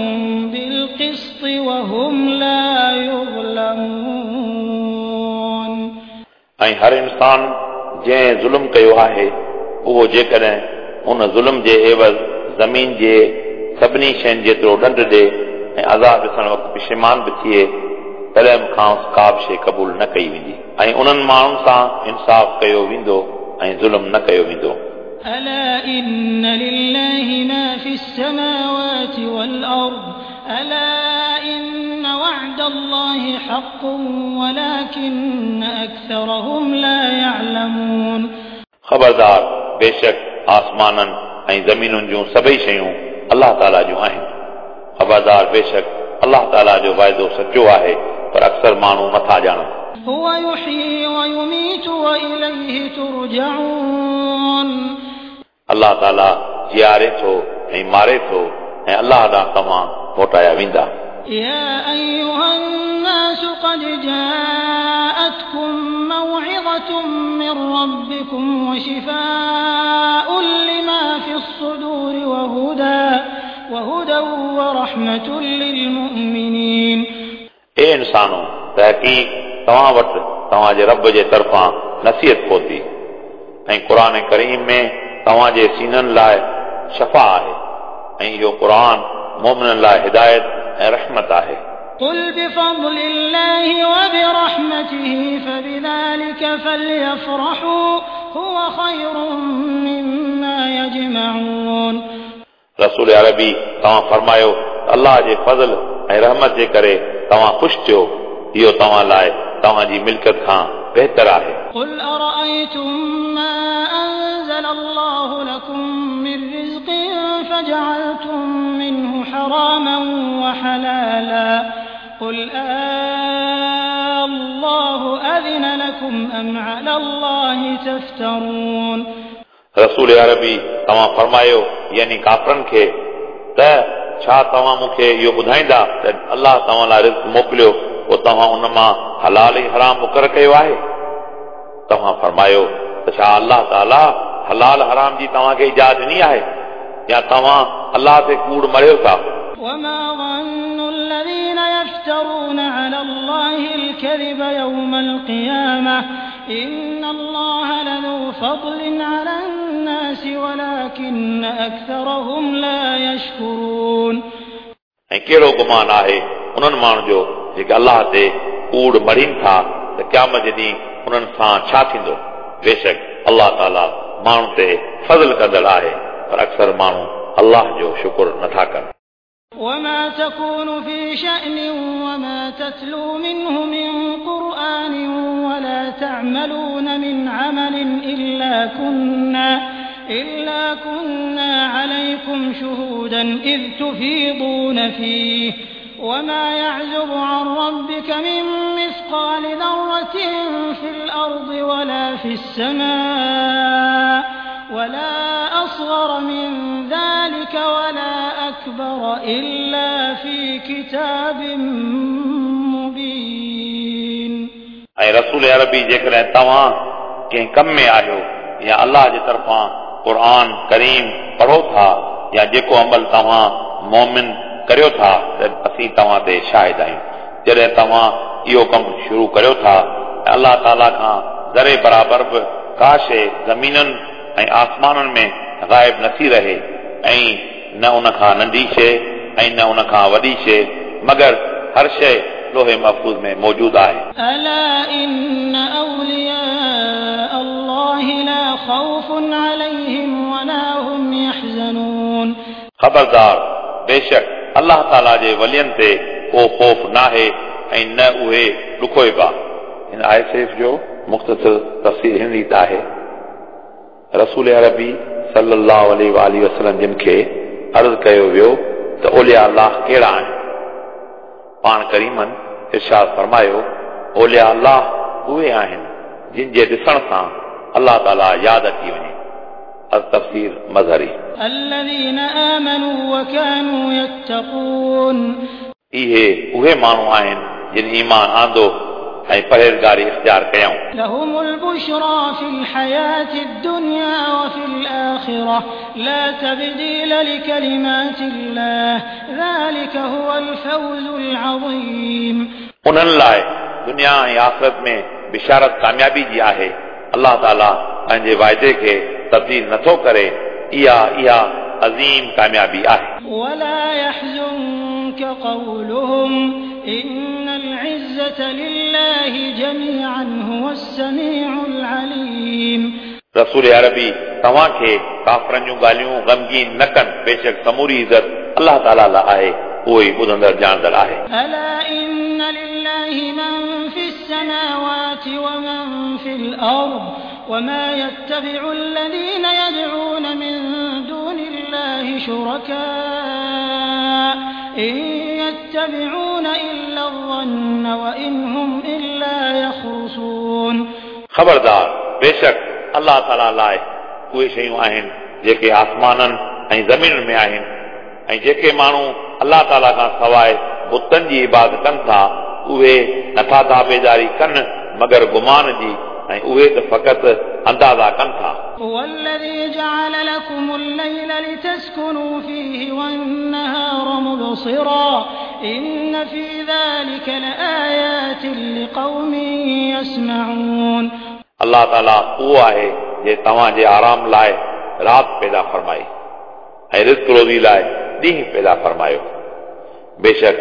S1: بالقسط وهم لا يظلمون.
S2: ऐं हर इंसान जंहिं ज़ुल्म कयो आहे उहो जेकॾहिं उन ज़ुल्म जे एवज़ ज़मीन जे सभिनी शयुनि जेतिरो ॾंढ ॾे ऐं अज़ाब ॾिसण वक़्तु पिशेमान बि थिए तॾहिं बि खांसि का बि शइ क़बूल न कई वेंदी ऐं उन्हनि माण्हुनि सां इंसाफ़ कयो वेंदो ऐं ज़ुल्म न कयो वेंदो।
S1: ألا إن لله ما في السماوات والأرض ألا إن وعد الله حق ولكن أكثرهم لا يعلمون।
S2: ख़बरदार, बेशक आसमाननि ऐं ज़मीनुनि जूं सभई शयूं अलाह ताला जूं आहिनि। ख़बरदार, बेशक अलाह ताला जो वाइदो सचो आहे, पर अक्सर माण्हू नथा ॼाणनि।
S1: هو يحيي ويميت وإليه ترجعون।
S2: अलाह ताला जीआरे थो ऐं मारे थो ऐं अलाह ॾांहुं तव्हां मोटाया वेंदा।
S1: يا أيها الناس قد جاءتكم موعظة من ربكم وشفاء لما في الصدور وهدى ورحمة للمؤمنين।
S2: ए इंसानो, तहक़ीक़ तव्हां वटि तव्हांजे रब जे तरफ़ां नसीहत पहुती ऐं क़ुर करीम में तव्हांजे सीननि लाइ शफ़ा आहे ऐं इहो क़ुर मोमिननि लाइ हिदायत ऐं रहमत आहे।
S1: قل بفضل الله وبرحمته فبذلك فليفرحوا هو خير مما يجمعون।
S2: रसूल अरबी तव्हां फरमायो, अलाह जे फज़ल ऐं रहमत जे करे तव्हां ख़ुशि थियो, इहो तव्हां लाइ तव्हांजी मिल्कियत खां बहितर आहे।
S1: قل أرأيتم ما أنزل الله لكم من رزق فجعلتم منه حراما وحلالا قل الله أذن لكم أم على الله تفترون।
S2: रसूल अरबी तव्हां फरमायो, यानी काफ़रनि खे, त छा तव्हां मूंखे इहो ॿुधाईंदा त अलाह तव्हां लाइ रिज़्क मोकिलियो, पोइ तव्हां उन मां हलाल ऐं हराम मुक़ररु कयो आहे? तव्हां फरमायो त छा अलाह ताला हलाल हराम जी तव्हांखे इजाज़त ॾिनी आहे या तव्हां अलाह ते कूड़ मरियो था?
S1: وما ظن الذين يفترون على الله الكذب يوم القيامة إن الله لذو فضل على الناس ولكن أكثرهم لا يشكرون।
S2: ऐं कहिड़ो गुमान आहे उन्हनि माण्हुनि जो जेके अलाह ते कूड़ मढ़ीनि था त क़यामत जे ॾींहुं उन्हनि सां छा थींदो? बेशक अलाह ताला माण्हुनि ते फज़ल कंदड़ आहे, पर अक्सर माण्हू अलाह जो शुक्र नथा कनि।
S1: وما تكون في شأن وما تتلو منه من قرآن ولا تعملون من عمل إلا كنا عليكم شهودا إذ تفيضون فيه وما يعزب عن ربك من مثقال ذرة في الأرض ولا في السماء ولا أصغر من ذلك ولا أكبر إلا في كتاب مبين।
S2: ऐं रसूल अरबी जेकॾहिं तव्हां कंहिं कम में आहियो या अलाह जे तरफ़ां क़ुर करीम पढ़ो था या जेको अमल तव्हां मोमिन करियो था त असीं तव्हां ते शाहिद आहियूं। जॾहिं तव्हां इहो कमु शुरू करियो था ऐं अलाह ताला खां ज़रे बराबरि बि का शइ ज़मीनुनि ऐं आसमाननि में ग़ाइब नथी रहे ऐं न उन खां नंढी शइ ऐं न उन खां वॾी शइ, मगर हर शइ लोहे महफ़ूज़ में मौजूद आहे।
S1: ألا إن أولياء الله لا خوف عليهم ولا هم يحزنون।
S2: ख़बरदार, बेशक अलाह ताला जे वलियनि ते को ख़ौफ़ नाहे ऐं न उहे ॾुखोइबा। हिन आयत शरीफ़ जो मुख़्तसर तफ़सील हिन रीति आहे। रसूल अरबी सल्लल्लाहु अलैहि वसल्लम जिन खे अर्ज़ कयो वियो त औलिया अलाह कहिड़ा आहिनि? पाण करीमनि इरशाद फरमायो, औलिया अलाह उहे आहिनि जिन जे ॾिसण सां अलाह ताला यादि अची वञे। तफ़सीर मज़हरी।
S1: الذين آمنوا وكانوا يتقون।
S2: इहे उहे माण्हू आहिनि जिन ईमान आंदो ऐं परहेज़गारी इख़्तियार कयऊं।
S1: لهم البشرى في الحياة الدنيا وفي الآخرة لا تبديل لكلمات الله ذلك هو الفوز العظيم।
S2: उन्हनि लाइ दुनिया ऐं आख़िरत में बिशारत कामयाबी जी आहे। अलाह ताला पंहिंजे वाइदे खे तब्दील नथो करे, इहा इहा अज़ीम कामयाबी आहे।
S1: ولا يحزنك قولهم إن العزة العزة لله جميعا هو السميع العليم.
S2: रसूल अरबी तव्हांखे काफ़रनि जूं ॻाल्हियूं ग़मगीन न कनि, बेशक समूरी इज़त अलाह ताला लाइ आहे, उहो ई ॿुधंदड़ ॼाणंदड़ आहे।
S1: ألا إن لله من في السماوات ومن في الأرض وما يتبع الذين يدعون من دون الله شركاء إن يتبعون إلا الظن وإن هم إلا يخرصون.
S2: ख़बरदार, बेशक अलाह ताला लाइ उहे शयूं आहिनि जेके आसमाननि ऐं ज़मीनुनि में आहिनि, ऐं जेके माण्हू अलाह ताला खां सवाइ बुतनि जी इबादत कनि था उहे नथा ताबेदारी कनि मगर गुमान जी, ऐं उहे त फ़क़ति अंदाज़ा कनि था।
S1: هو الذي جعل لكم الليل لتسكنوا فيه والنهار مبصرا إن في ذلك لآيات لقوم يسمعون.
S2: अलाह ताला उहो आहे जे तव्हांजे आराम लाइ राति पैदा फरमाई ऐं रिज़्क रोज़ी लाइ ॾींहुं पैदा फरमायो। बेशक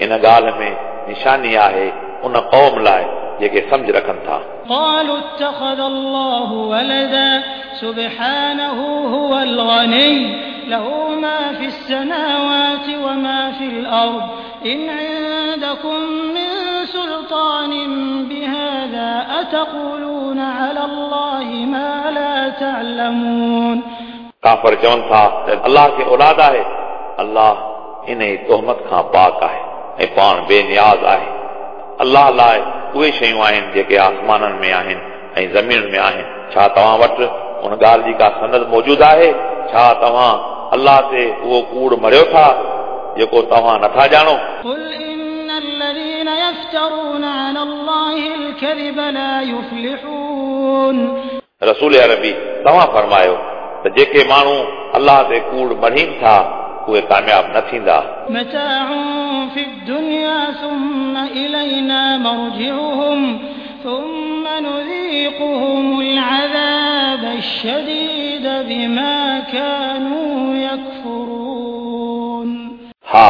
S2: इन ॻाल्हि में निशानी आहे उन क़ौम लाइ जेके सम्झ रखनि था।
S1: قالوا اتخذ الله ولدا سبحانه هو الغني له ما في السماوات وما في الأرض إن عندكم من سلطان بهذا أتقولون على الله ما لا تعلمون.
S2: काफ़र चवनि था त अलाह खे औलाद आहे, अलाह इन तोहमत खां पाक आहे ऐं पाण बेनियाज़ आहे। अलाह लाइ उहे शयूं आहिनि जेके आसमाननि में आहिनि ऐं ज़मीनुनि में आहिनि। छा तव्हां वटि उन ॻाल्हि जी का सनद मौजूदु आहे? छा तव्हां अलाह ते उहो कूड़ मरियो था जेको तव्हां नथा ॼाणो?
S1: قل إن الذين يفترون على الله الكذب لا يفلحون.
S2: रसूल अरबी तव्हां फरमायो त जेके माण्हू अलाह ते कूड़ मढ़ीनि था उहे कामयाब न थींदा।
S1: متاع في الدنيا ثم إلينا مرجعهم ثم نذيقهم العذاب الشديد بما كانوا يكفرون.
S2: हा,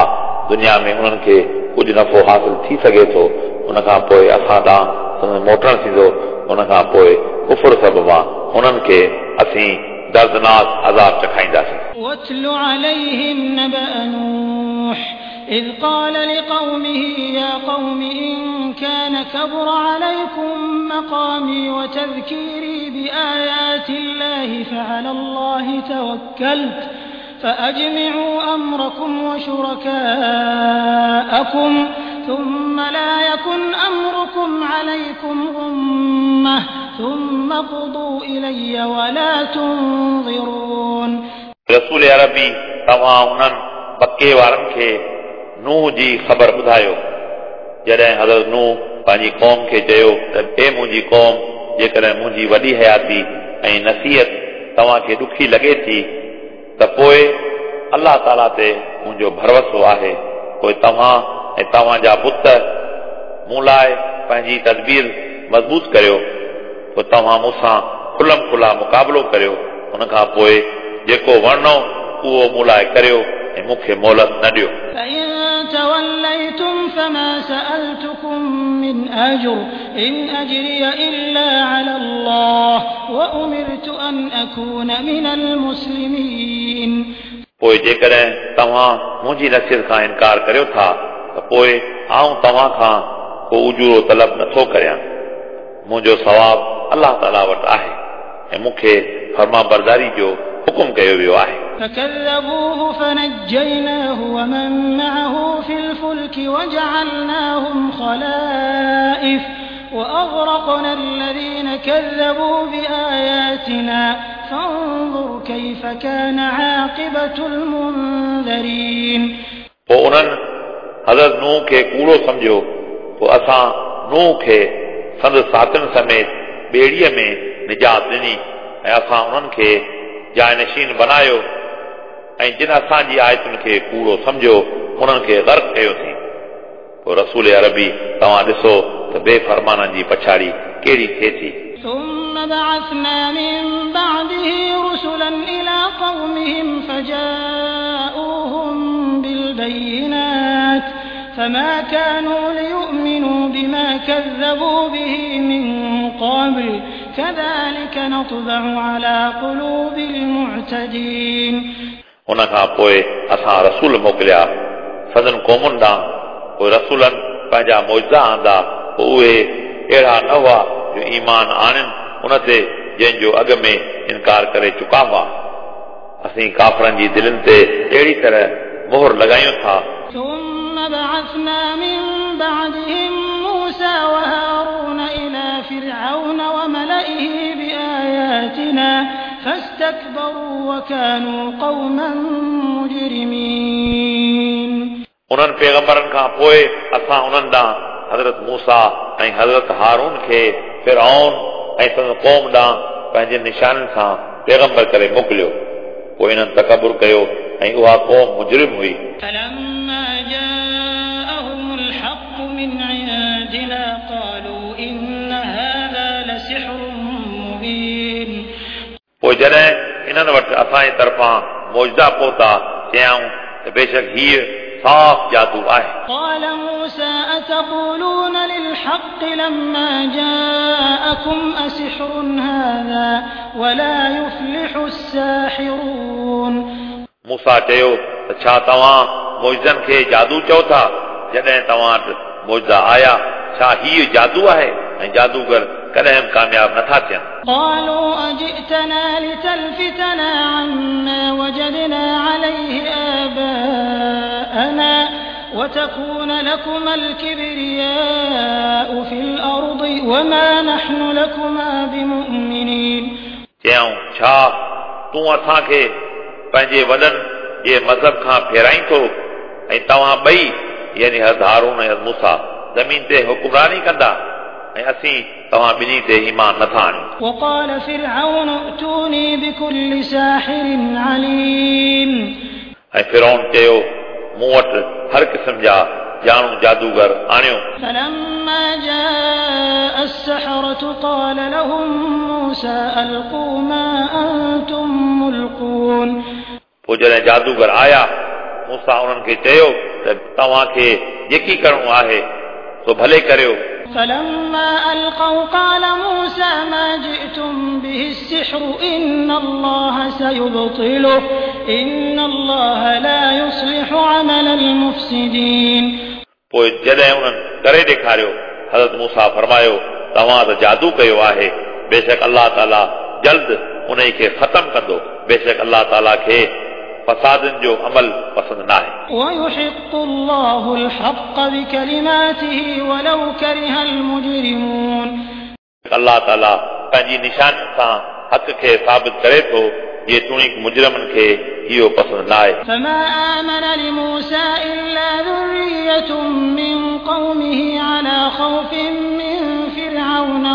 S2: दुनिया में उन्हनि खे कुझु नफ़ो हासिल थी सघे थो, उन खां पोइ असां ॾांहुं संदन मोटणु थींदो, उन खां पोइ कुफुर सबबु उन्हनि खे असीं दर्दनाक अज़ाब चखाईंदासीं।
S1: واتل عليهم نبأ نوح إذ قال لقومه يا قوم إن كان كبر عليكم مقامي وتذكيري بآيات الله فعلى الله توكلت فأجمعوا أمركم وشركاءكم ثم لا يكن أمركم عليكم غمة ثم قضوا إلي ولا تنظرون.
S2: रसूल अरबी तव्हां उन्हनि पके वारनि खे नूह जी ख़बर ॿुधायो, जॾहिं हज़रत नूह पंहिंजी क़ौम खे चयो त हे मुंहिंजी क़ौम, जेकॾहिं मुंहिंजी वॾी हयाती ऐं नसीहत तव्हांखे ॾुखी लॻे थी त पोइ अलाह ताला ते मुंहिंजो भरोसो आहे, पोइ तव्हां ऐं तव्हांजा बुत मूं लाइ पंहिंजी तदबीर मज़बूत करियो, पोइ तव्हां मूंसां खुलम खुला मुक़ाबिलो करियो, उन खां पोइ जेको वणो उहो मूं लाइ करियो ऐं मूंखे मोहलत न ॾियो।
S1: فإن توليتم فما سألتكم من أجر إن أجري إلا على الله وأمرت أن أكون من المسلمين.
S2: पोइ जेकॾहिं तव्हां मुंहिंजी नसीहत खां इनकार करियो था त पोइ आउं तव्हां खां को उजूरो तलब नथो करियां, मुंहिंजो सवाब अलाह ताला वटि आहे ऐं मूंखे फर्मा बरदारी जो हुकुम कयो वियो आहे।
S1: فكذبوه فنجيناه ومن معه في الفلك وجعلناهم خلائف وأغرقنا الذين كذبوا بآياتنا فانظر كيف كان عاقبة المنذرين.
S2: पोइ उन्हनि हज़रत नूह खे कूड़ो सम्झियो, पोइ असां नूह खे संदसि साथियुनि समेत ॿेड़ीअ में निजात ॾिनी ऐं असां उन्हनि खे जायनशीन बनायो ऐं जिन असांजी आयतुनि खे कूड़ो सम्झियो उन्हनि खे गर्क कयोसीं। पोइ रसूल अरबी तव्हां ॾिसो त बेफरमाननि जी पछाड़ी कहिड़ी थिए थी।
S1: ثم بعثنا من بعده رسلا إلى قومهم فجاءوهم بالبينات فما كانوا ليؤمنوا بما كذبوا به من قبل كذلك نطبع على قلوب المعتدين.
S2: उन खां पोइ असां रसूल मोकिलिया सदन क़ौमुनि ॾांहुं, पोइ रसूलनि पंहिंजा मुइज़ा आंदा, पोइ उहे अहिड़ा न हुआ जो ईमान आणनि उन ते जंहिंजो अॻु में इनकार करे चुका हुआ। असीं काफ़रनि जी दिलनि ते अहिड़ी तरह मोहर लॻायूं था।
S1: ثم بعثنا من بعدهم موسى وهارون إلى فرعون وملئه بآياتنا فاستكبروا وكانوا قوما مجرمين.
S2: उन्हनि पैगंबरनि खां पोइ असां उन्हनि ॾांहुं हज़रत मूसा ऐं हज़रत हारून खे फिरऔन ऐं संदसि क़ौम ॾांहुं पंहिंजे निशाननि सां पैगंबर करे मोकिलियो, पोइ इन्हनि तकबुर कयो ऐं उहा क़ौम मुजरिम हुई।
S1: فلما جاءهم الحق من عندنا قالوا إن هذا لسحر مبين.
S2: पोइ जॾहिं इन्हनि वटि असांजे तरफ़ां मुइज़ा पहुता, चयाऊं त बेशक हीअ साफ़ जादू आहे।
S1: قال موسى أتقولون للحق لما جاءكم أسحر هذا ولا يفلح الساحرون.
S2: मूसा चयो त छा तव्हां मुइज़नि खे जादू चओ था? जॾहिं तव्हां वटि मुइज़ा आया, छा हीअ जादू आहे? ऐं जादूगर कॾहिं बि कामयाब नथा थियनि।
S1: قالوا أجئتنا لتلفتنا عما وجدنا عليه آباءنا وتكون لكما الكبرياء في الأرض وما نحن لكما بمؤمنين.
S2: चयाऊं छा तूं असांखे पंहिंजे वॾनि जे मज़हब खां फेराईं थो ऐं तव्हां ॿई यानी हज़रत हारून ऐं हज़रत मूसा ज़मीन ते हुकुमरानी कंदा ऐं असीं तव्हां ॿिन्ही ते ईमान नथा आणियूं।
S1: وقال فرعون ائتوني بكل ساحر عليم.
S2: ऐं फिरौन चयो मूं वटि हर क़िस्म जा ॼाणू जादूगर आणियो।
S1: فلما جاء السحرة قال لهم موسى ألقوا ما أنتم ملقون.
S2: पोइ जॾहिं जादूगर आया, मूसा उन्हनि खे चयो त तव्हांखे जेकी करिणो आहे सो भले करियो।
S1: فلما ألقوا قال موسى ما جئتم به السحر إن الله سيبطله إن الله لا يصلح عمل المفسدين.
S2: पोइ जॾहिं उन्हनि करे ॾेखारियो, हज़रत मूसा फरमायो तव्हां त जादू कयो आहे, बेशक अलाह ताला जल्द उन खे ख़तम कंदो, बेशक अलाह ताला खे फसादनि जो अमल पसंदि न आहे।
S1: ويحق الله الحق بكلماته ولو كره المجرمون.
S2: अलाह ताला पंहिंजी निशान सां हक़ खे साबित करे थो, जेतोणीकि मुजरिमनि खे इहो पसंदि न आहे।
S1: فما آمن لموسى إلا ذرية من قومه على خوف من فرعون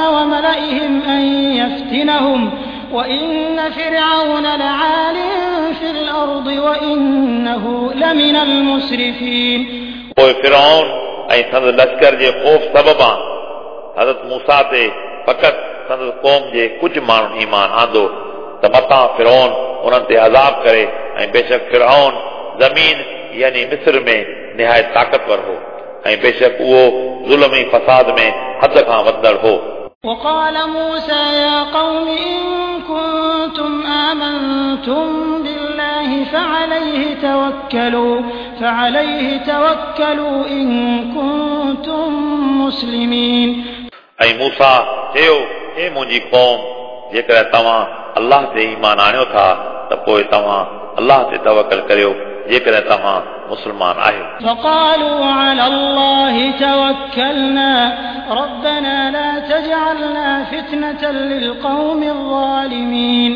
S1: وملئهم أن يفتنهم وإن فرعون لعال في الأرض وإنه لمن المسرفين.
S2: पोइ फिरौन ऐं संदसि लश्कर जे ख़ौफ़ सबबां हज़रत मूसा ते फ़क़ति संदसि क़ौम जे कुझु माण्हुनि ईमान आंदो त मतां फिरौन उन्हनि ते अज़ाब करे, ऐं बेशक फिरौन ज़मीन यानी मिस्र में निहायत ताक़तवर हो ऐं बेशक उहो ज़ुल्म ऐं फसाद में हद खां वधंदड़ हो।
S1: وقال موسى يا قوم إن كنتم آمنتم بالله فعليه توكلوا إن كنتم مسلمين.
S2: ऐं मूसा चयो हे मुंहिंजी क़ौम, जेकॾहिं तव्हां अलाह ते ईमान आणियो था त पोइ तव्हां अलाह ते तवकल करियो, जेकॾहिं तव्हां मुस्लमान आहियो।
S1: فقالوا على الله توكلنا ربنا لا تجعلنا فتنة للقوم الظالمين.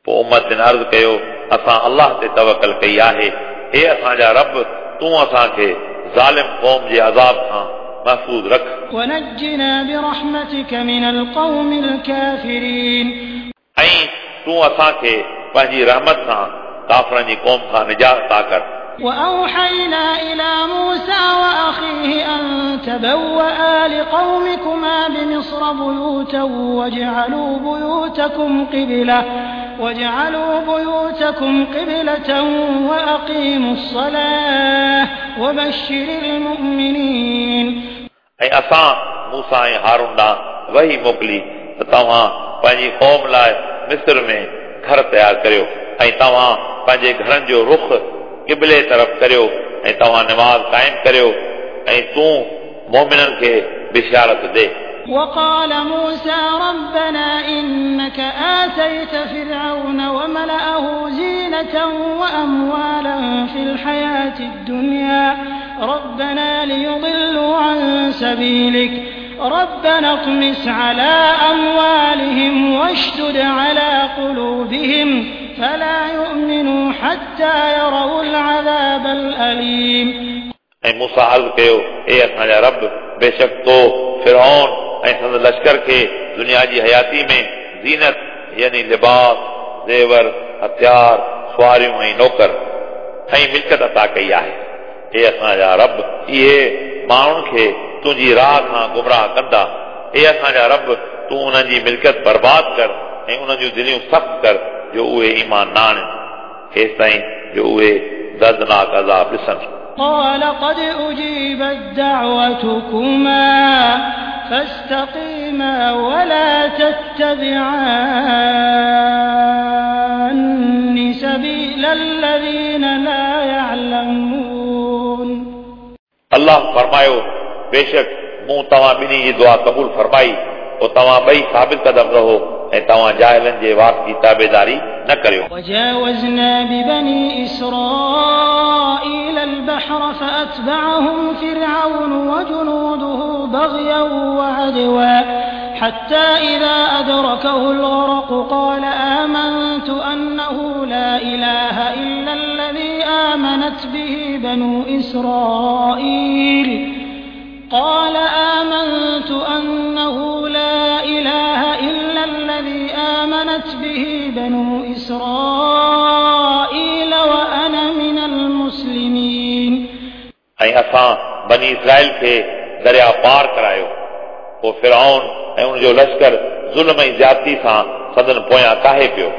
S2: पोइ उम्मतिन अर्ज़ कयो असां अलाह ते तवकल कई आहे, हे असांजा रब, तूं असांखे ज़ालिम क़ौम जे अज़ाब खां महफ़ूज़ रख।
S1: ونجنا برحمتك من القوم الكافرين.
S2: ऐं तूं असांखे पंहिंजी रहमत सां काफ़रनि जी क़ौम खां निजात अता कर।
S1: وأوحينا إلى موسى وأخيه أن تبوأ لقومكما بمصر بيوتا واجعلوا بيوتكم قبلة وأقيموا الصلاة وبشر المؤمنين.
S2: ऐं असां मूसा ऐं हारून ॾांहुं वही मोकिली त तव्हां पंहिंजी क़ौम लाइ मिस्र में घर तयारु करियो ऐं तव्हां पंहिंजे घरनि जो रुख क़िबले तरफ़ करियो ऐं तव्हां नमाज़ क़ाइमु करियो ऐं तूं मोमिननि खे बिशारत ॾे।
S1: وقال موسى ربنا إنك آتيت فرعون وملأه زينة وأموالا في الحياة الدنيا ربنا ليضلوا عن سبيلك ربنا اطمس على أموالهم واشدد على قلوبهم فلا يؤمنوا حتى يروا العذاب الأليم.
S2: ऐं मूसा अर्ज़ कयो, ए असांजा रब, बेशक तो फिरौन ऐं संदसि लश्कर खे दुनिया जी हयाती में ज़ीनत यानी लिबास, ज़ेवर, हथियार, सुवारियूं ऐं नौकर ऐं मिल्कत अता कई आहे। हे असांजा रब, इहे माण्हुनि खे तुंहिंजी राह खां गुमराह कंदा। हे असांजा रब, तूं उन्हनि जी मिल्कियत बर्बाद कर ऐं उन्हनि जूं दिलियूं सख़्तु कर जो उहे ईमान न आणनि, हेसि ताईं जो उहे दर्दनाक अज़ाब ॾिसनि।
S1: قال قد أجيبت دعوتكما فاستقيما ولا تتبعان سبيل الذين لا يعلمون.
S2: अल्लाह फरमायो, बेशक मूं तव्हां ॿिन्ही जी दुआ क़बूल फरमाई, पोइ तव्हां ॿई साबित कदम रहो ऐं तव्हां जाहिलनि जे वात जी ताबेदारी न करियो।
S1: وجاوزنا ببني إسرائيل البحر فأتبعهم فرعون وجنوده بغيا وعدوا حتى إذا أدركه الغرق قال آمنت أنه لا إله إلا الذي آمنت به بنو إسرائيل قال آمنت أنه لا إله إلا الذي آمنت به بنو إسرائيل وأنا من المسلمين.
S2: ऐं असां बनी इसराइल खे दरिया पार करायो, पोइ फिरौन ऐं उनजो लश्कर ज़ुल्म ऐं ज़्यादती सां संदन पोयां काहे पियो,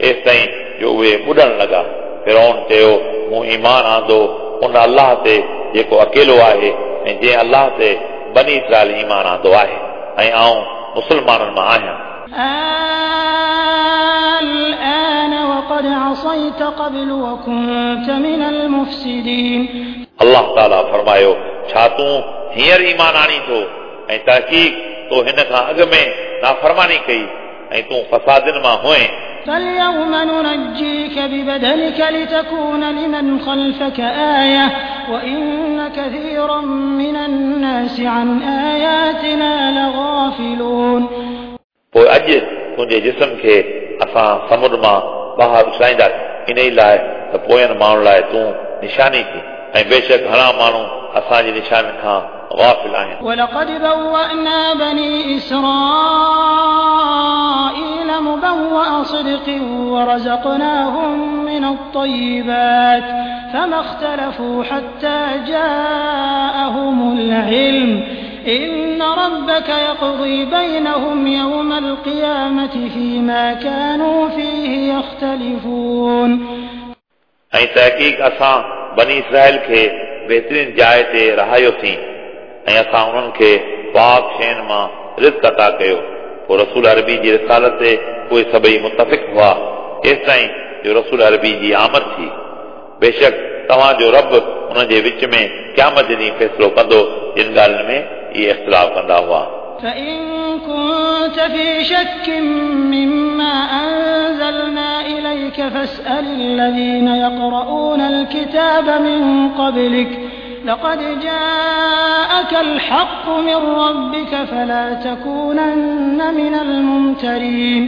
S2: एसि ताईं जो उहे ॿुॾणु लॻा। फिरौन चयो, मूं ईमान आंदो उन अल्लाह ते जेको अकेलो आहे ऐं जंहिं अल्लाह ते बनी इसराइल ईमान आंदो आहे ऐं आउं मुस्लमाननि मां आहियां।
S1: الآن وقد عصيت قبل وكنت من المفسدين.
S2: अल्लाह ताला फरमायो, छा तूं हींअर ईमान आणी थो ऐं तहक़ीक़ तो हिन खां अॻु में नाफ़रमानी कई ऐं तूं फसादिन मां हुए।
S1: فاليوم ننجيك ببدنك لتكون لمن خلفك آية وإن كثيرا من الناس عن آياتنا لغافلون.
S2: पोइ अॼु तुंहिंजे जिस्म खे असां समुंड मां ॿाहिरि उछलाईंदासीं, इन ई लाइ त पोयनि माण्हुनि लाइ तूं निशानी थी, ऐं बेशक घणा माण्हू असांजी निशानी खां गाफ़िल आहिनि।
S1: ولقد بوأنا بني إسرائيل مبوأ صدق ورزقناهم من الطيبات فما اختلفوا حتى جاءهم العلم إن ربك يقضي بينهم يوم القيامة فيما كانوا فيه يختلفون.
S2: ऐं तहक़ीक़ असां बनी इसराइल खे बहितरीन जाइ ते रहायोसीं ऐं असां उन्हनि खे पाक शयुनि मां रिज़्क अता कयो। पोइ रसूल अरबी जी रिसालत ते उहे सभई मुतफ़िक़ हुआ, एसि ताईं जो रसूल अरबी जी आमद थी। बेशक तव्हांजो रब उन्हनि जे विच में क़यामत जे ॾींहुं फ़ैसिलो कंदो जिन ॻाल्हियुनि में इहे इख़्तिलाफ़ कंदा हुआ।
S1: فإن كنت في شك مما أنزلنا إليك فاسأل الذين يقرؤون الكتاب من قبلك لقد جاءك الحق من ربك فلا تكونن من الممترين.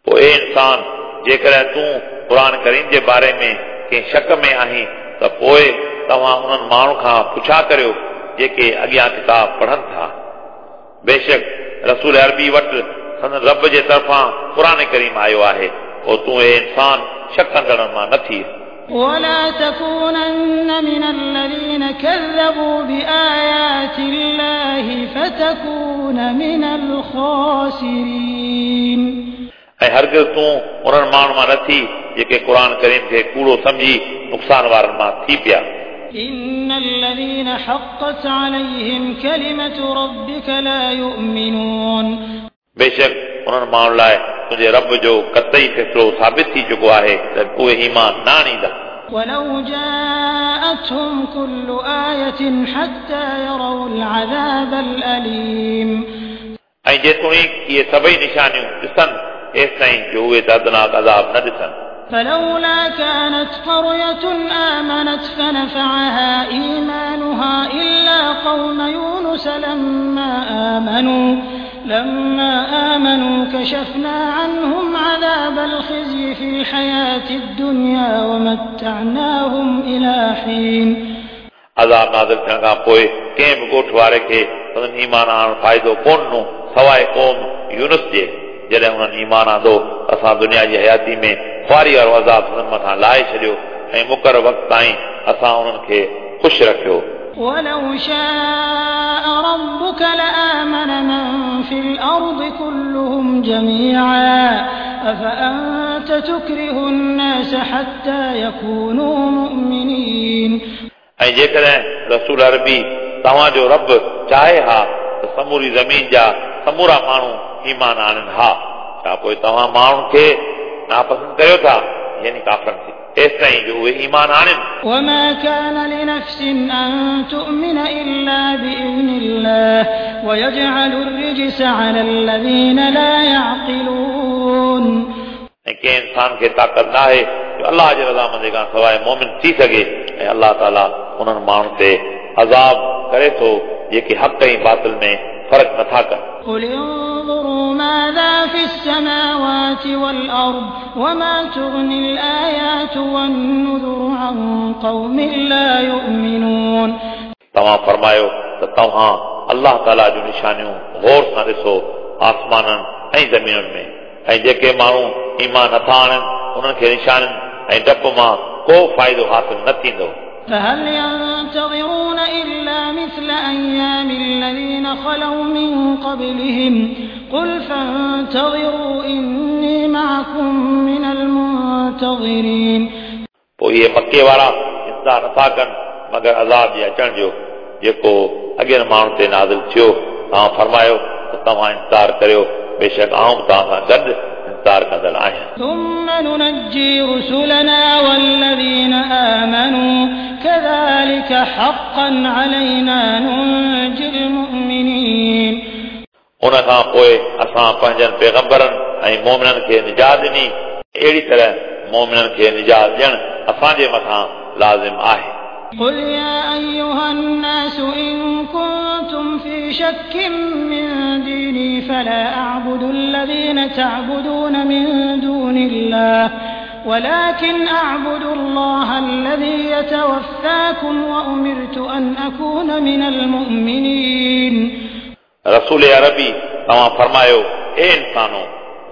S2: पोइ ए इंसान, जेकॾहिं तूं क़ुर करीम जे बारे में कंहिं शक में आहीं त पोइ तव्हां उन्हनि माण्हुनि खां पुछा करियो जेके अॻियां किताब पढ़नि था। बेशक रसूल अरबी वटि संदन रब जे तरफ़ां क़ुर करीम आयो आहे, पोइ तूं ए इंसान शक कंदड़नि मां न थी।
S1: ولا تكونن من الذين كذبوا بآيات الله فتكون من الخاسرين.
S2: ऐं हरगिज़ तूं उन्हनि माण्हुनि मां न थी जेके क़ुर करीम खे कूड़ो सम्झी नुक़सान वारनि मां थी पिया।
S1: إن الذين حقت عليهم كلمة ربك لا يؤمنون।
S2: बेशक उन्हनि माण्हुनि लाइ तुंहिंजे रब जो क़तई फ़ैसिलो साबित थी चुको आहे त उहे ईमान न आणींदा।
S1: ولو جاءتهم كل آية حتى يروا العذاب الأليم।
S2: ऐं जेतोणीक इहे सभई निशानियूं ॾिसनि एसि ताईं जो उहे दर्दनाक अज़ाब न ॾिसनि।
S1: فلولا كانت قرية آمنت فنفعها إيمانها إلا قوم يونس لما آمنوا كشفنا عنهم عذاب الخزي في الحياة الدنيا ومتعناهم إلى حين।
S2: अज़ाब नाज़िल थियण खां पोइ कंहिं बि ॻोठ वारे खे संदन ईमान आणण फ़ाइदो कोन ॾिनो सवाइ क़ौम यूनुस जे। जॾहिं उन्हनि ईमान आंदो असां दुनिया जी हयाती में ख़ुआरी वारो अज़ाब संदन मथां लाहे छॾियो ऐं मुक़ररु वक़्त ताईं असां उन्हनि खे ख़ुशि रखियो।
S1: ولو شاء ربك لآمن من في الأرض كلهم جميعا أفأنت تكره الناس حتى يكونوا مؤمنين।
S2: ऐं जेकॾहिं रसूल अरबी तव्हांजो रब चाहे हा त समूरी ज़मीन जा समूरा माण्हू ईमान आणनि हा, छा पोइ तव्हां माण्हुनि खे नापसंदि कयो था यानी काफ़रनि खे एसि ताईं जो उहे ईमान आणनि।
S1: وما كان لنفس أن تؤمن إلا بإذن الله ويجعل الرجس على الذين لا يعقلون।
S2: ऐं कंहिं इंसान खे ताक़त न आहे जो अलाह जे रज़ामंदी खां सवाइ मोमिन थी सघे ऐं अलाह ताला उन्हनि माण्हुनि ते अज़ाब करे थो जेके हक़ ऐं बातिल में फ़र्क़ु नथा कनि।
S1: قل انظروا ماذا في السماوات والأرض وما تغني الآيات والنذر عن قوم لا يؤمنون।
S2: तव्हां फरमायो त तव्हां अलाह ताला जूं निशानियूं गौर सां ॾिसो आसमाननि ऐं ज़मीनुनि में, ऐं जेके माण्हू ईमान नथा आणनि उन्हनि खे निशानियुनि ऐं डपु मां को फ़ाइदो हासिल न थींदो।
S1: فهل ينتظرون إلا مثل أيام الذين خلوا من قبلهم قل فانتظروا إني معكم من المنتظرين।
S2: पोइ इहे मके वारा इंतज़ार नथा कनि मगर अज़ाब जे अचण जो जेको अॻियनि माण्हुनि ते नाज़िल थियो। तव्हां फरमायो त तव्हां इंतज़ार करियो, बेशक आउं बि तव्हां सां गॾु इंतज़ार कंदड़ आहियां।
S1: ثم ننجي رسلنا والذين آمنوا كذلك حقا علينا ننجي المؤمنين।
S2: उन खां पोइ असां पंहिंजनि पैगंबरनि ऐं मोमिननि खे निजात ॾिनी, अहिड़ी तरह मोमिननि खे निजात ॾियणु असांजे मथां लाज़िम आहे।
S1: قل يا أيها الناس إن كنتم في شك من ديني فلا أعبد الذين تعبدون من دون الله ولكن أعبد الله الذي يتوفاكم وأمرت أن أكون من المؤمنين।
S2: रसूल अरबी तव्हां फरमायो, ए इंसानो,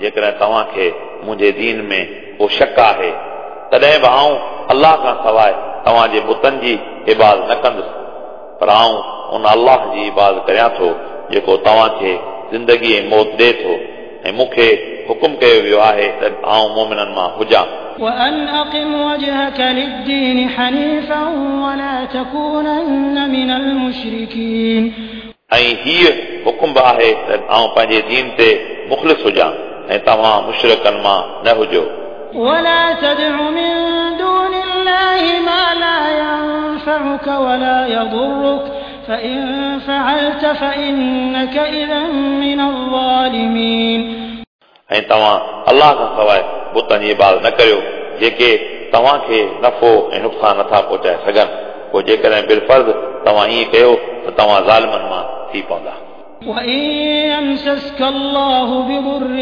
S2: जेकॾहिं तव्हांखे मुंहिंजे दीन में को शक आहे तॾहिं बि आउं अलाह खां सवाइ तव्हांजे बुतनि जी इबादत न कंदुसि, पर आउं उन अलाह जी इबादत करियां थो जेको तव्हांखे ज़िंदगी ऐं मौत ॾिए थो, ऐं मूंखे हुकुम कयो वियो आहे त आउं मोमिननि मां हुजां।
S1: وأن أقم وجهك للدين حنيفا ولا تكونن من المشركين।
S2: ऐं हीउ हुकुम बि आहे त आउं पंहिंजे दीन ते मुख़लिस हुजां ऐं तव्हां मुशरिकनि मां न हुजो।
S1: ولا تدع من دون الله ما لا ينفعك ولا يضرك فإن فعلت فإنك إذا من الظالمين।
S2: ऐं तव्हां अलाह खां सवाइ बुतनि जी इबादत न करियो जेके तव्हांखे नफ़ो ऐं नुक़सानु नथा पहुचाए सघनि, पोइ जेकॾहिं बिलफ़र्ज़ तव्हां ईअं कयो त तव्हां ज़ालिमनि मां थी पवंदा।
S1: وإن يمسسك الله بضر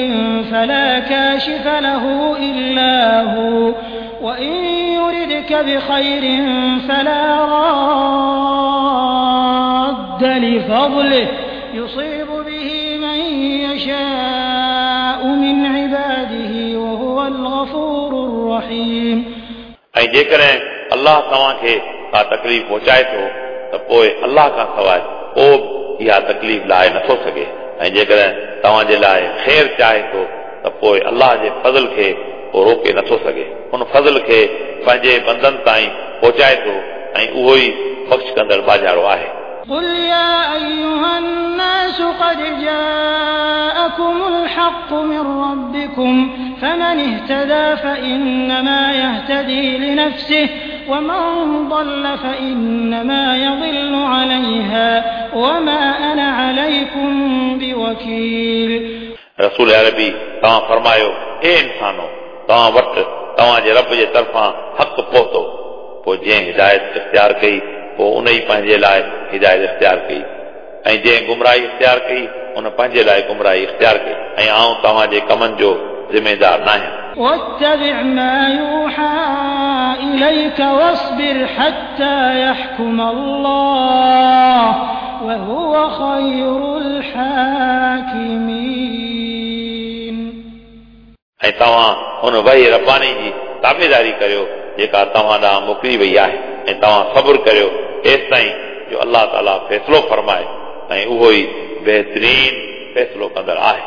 S1: فلا كاشف له إلا هو وإن يردك بخير فلا راد لفضله يصيب به من يشاء من عباده وهو الغفور الرحيم।
S2: ऐं जेकॾहिं अलाह तव्हांखे का तकलीफ़ पहुचाए थो त पोइ अलाह खां सवाइ को बि इहा तकलीफ़ लाहे नथो सघे, ऐं जेकॾहिं तव्हांजे लाइ ख़ैर चाहे थो त त पोइ अलाह जे फज़ल खे उहो रोके नथो सघे। उन फज़ल खे पंहिंजे बंदनि ताईं पहुचाए थो ऐं उहो ई बख़्श कंदड़ बाजारो आहे।
S1: قل يا أيها الناس قد جاءكم الحق من ربكم فمن اهتدى فإنما يهتدي لنفسه ومن ضل فإنما يضل عليها وما أنا عليكم بوكيل।
S2: रसूल अरबी तव्हां फरमायो, हे इंसानो, तव्हां वटि तव्हांजे रब जे तरफ़ां हक़ पहुतो, पोइ जंहिं हिदायत इख़्तियार कई पोइ उन ई पंहिंजे लाइ हिदायत इख़्तियार कई ऐं जंहिं गुमराही इख़्तियार कई उन पंहिंजे लाइ गुमराही इख़्तियार कई ऐं आउं तव्हांजे कमनि जो ज़िम्मेदार न आहियां।
S1: واتبع ما يوحى إليك واصبر حتى يحكم الله وهو خير الحاكمين।
S2: ऐं तव्हां हुन वही रबानी जी ताबेदारी करियो जेका तव्हां ॾांहुं मोकिली वई आहे ऐं तव्हां सब्र करियो एसि ताईं जो अलाह ताला फ़ैसिलो फरमाए ऐं उहो ई बहितरीन फ़ैसिलो कंदड़ आहे।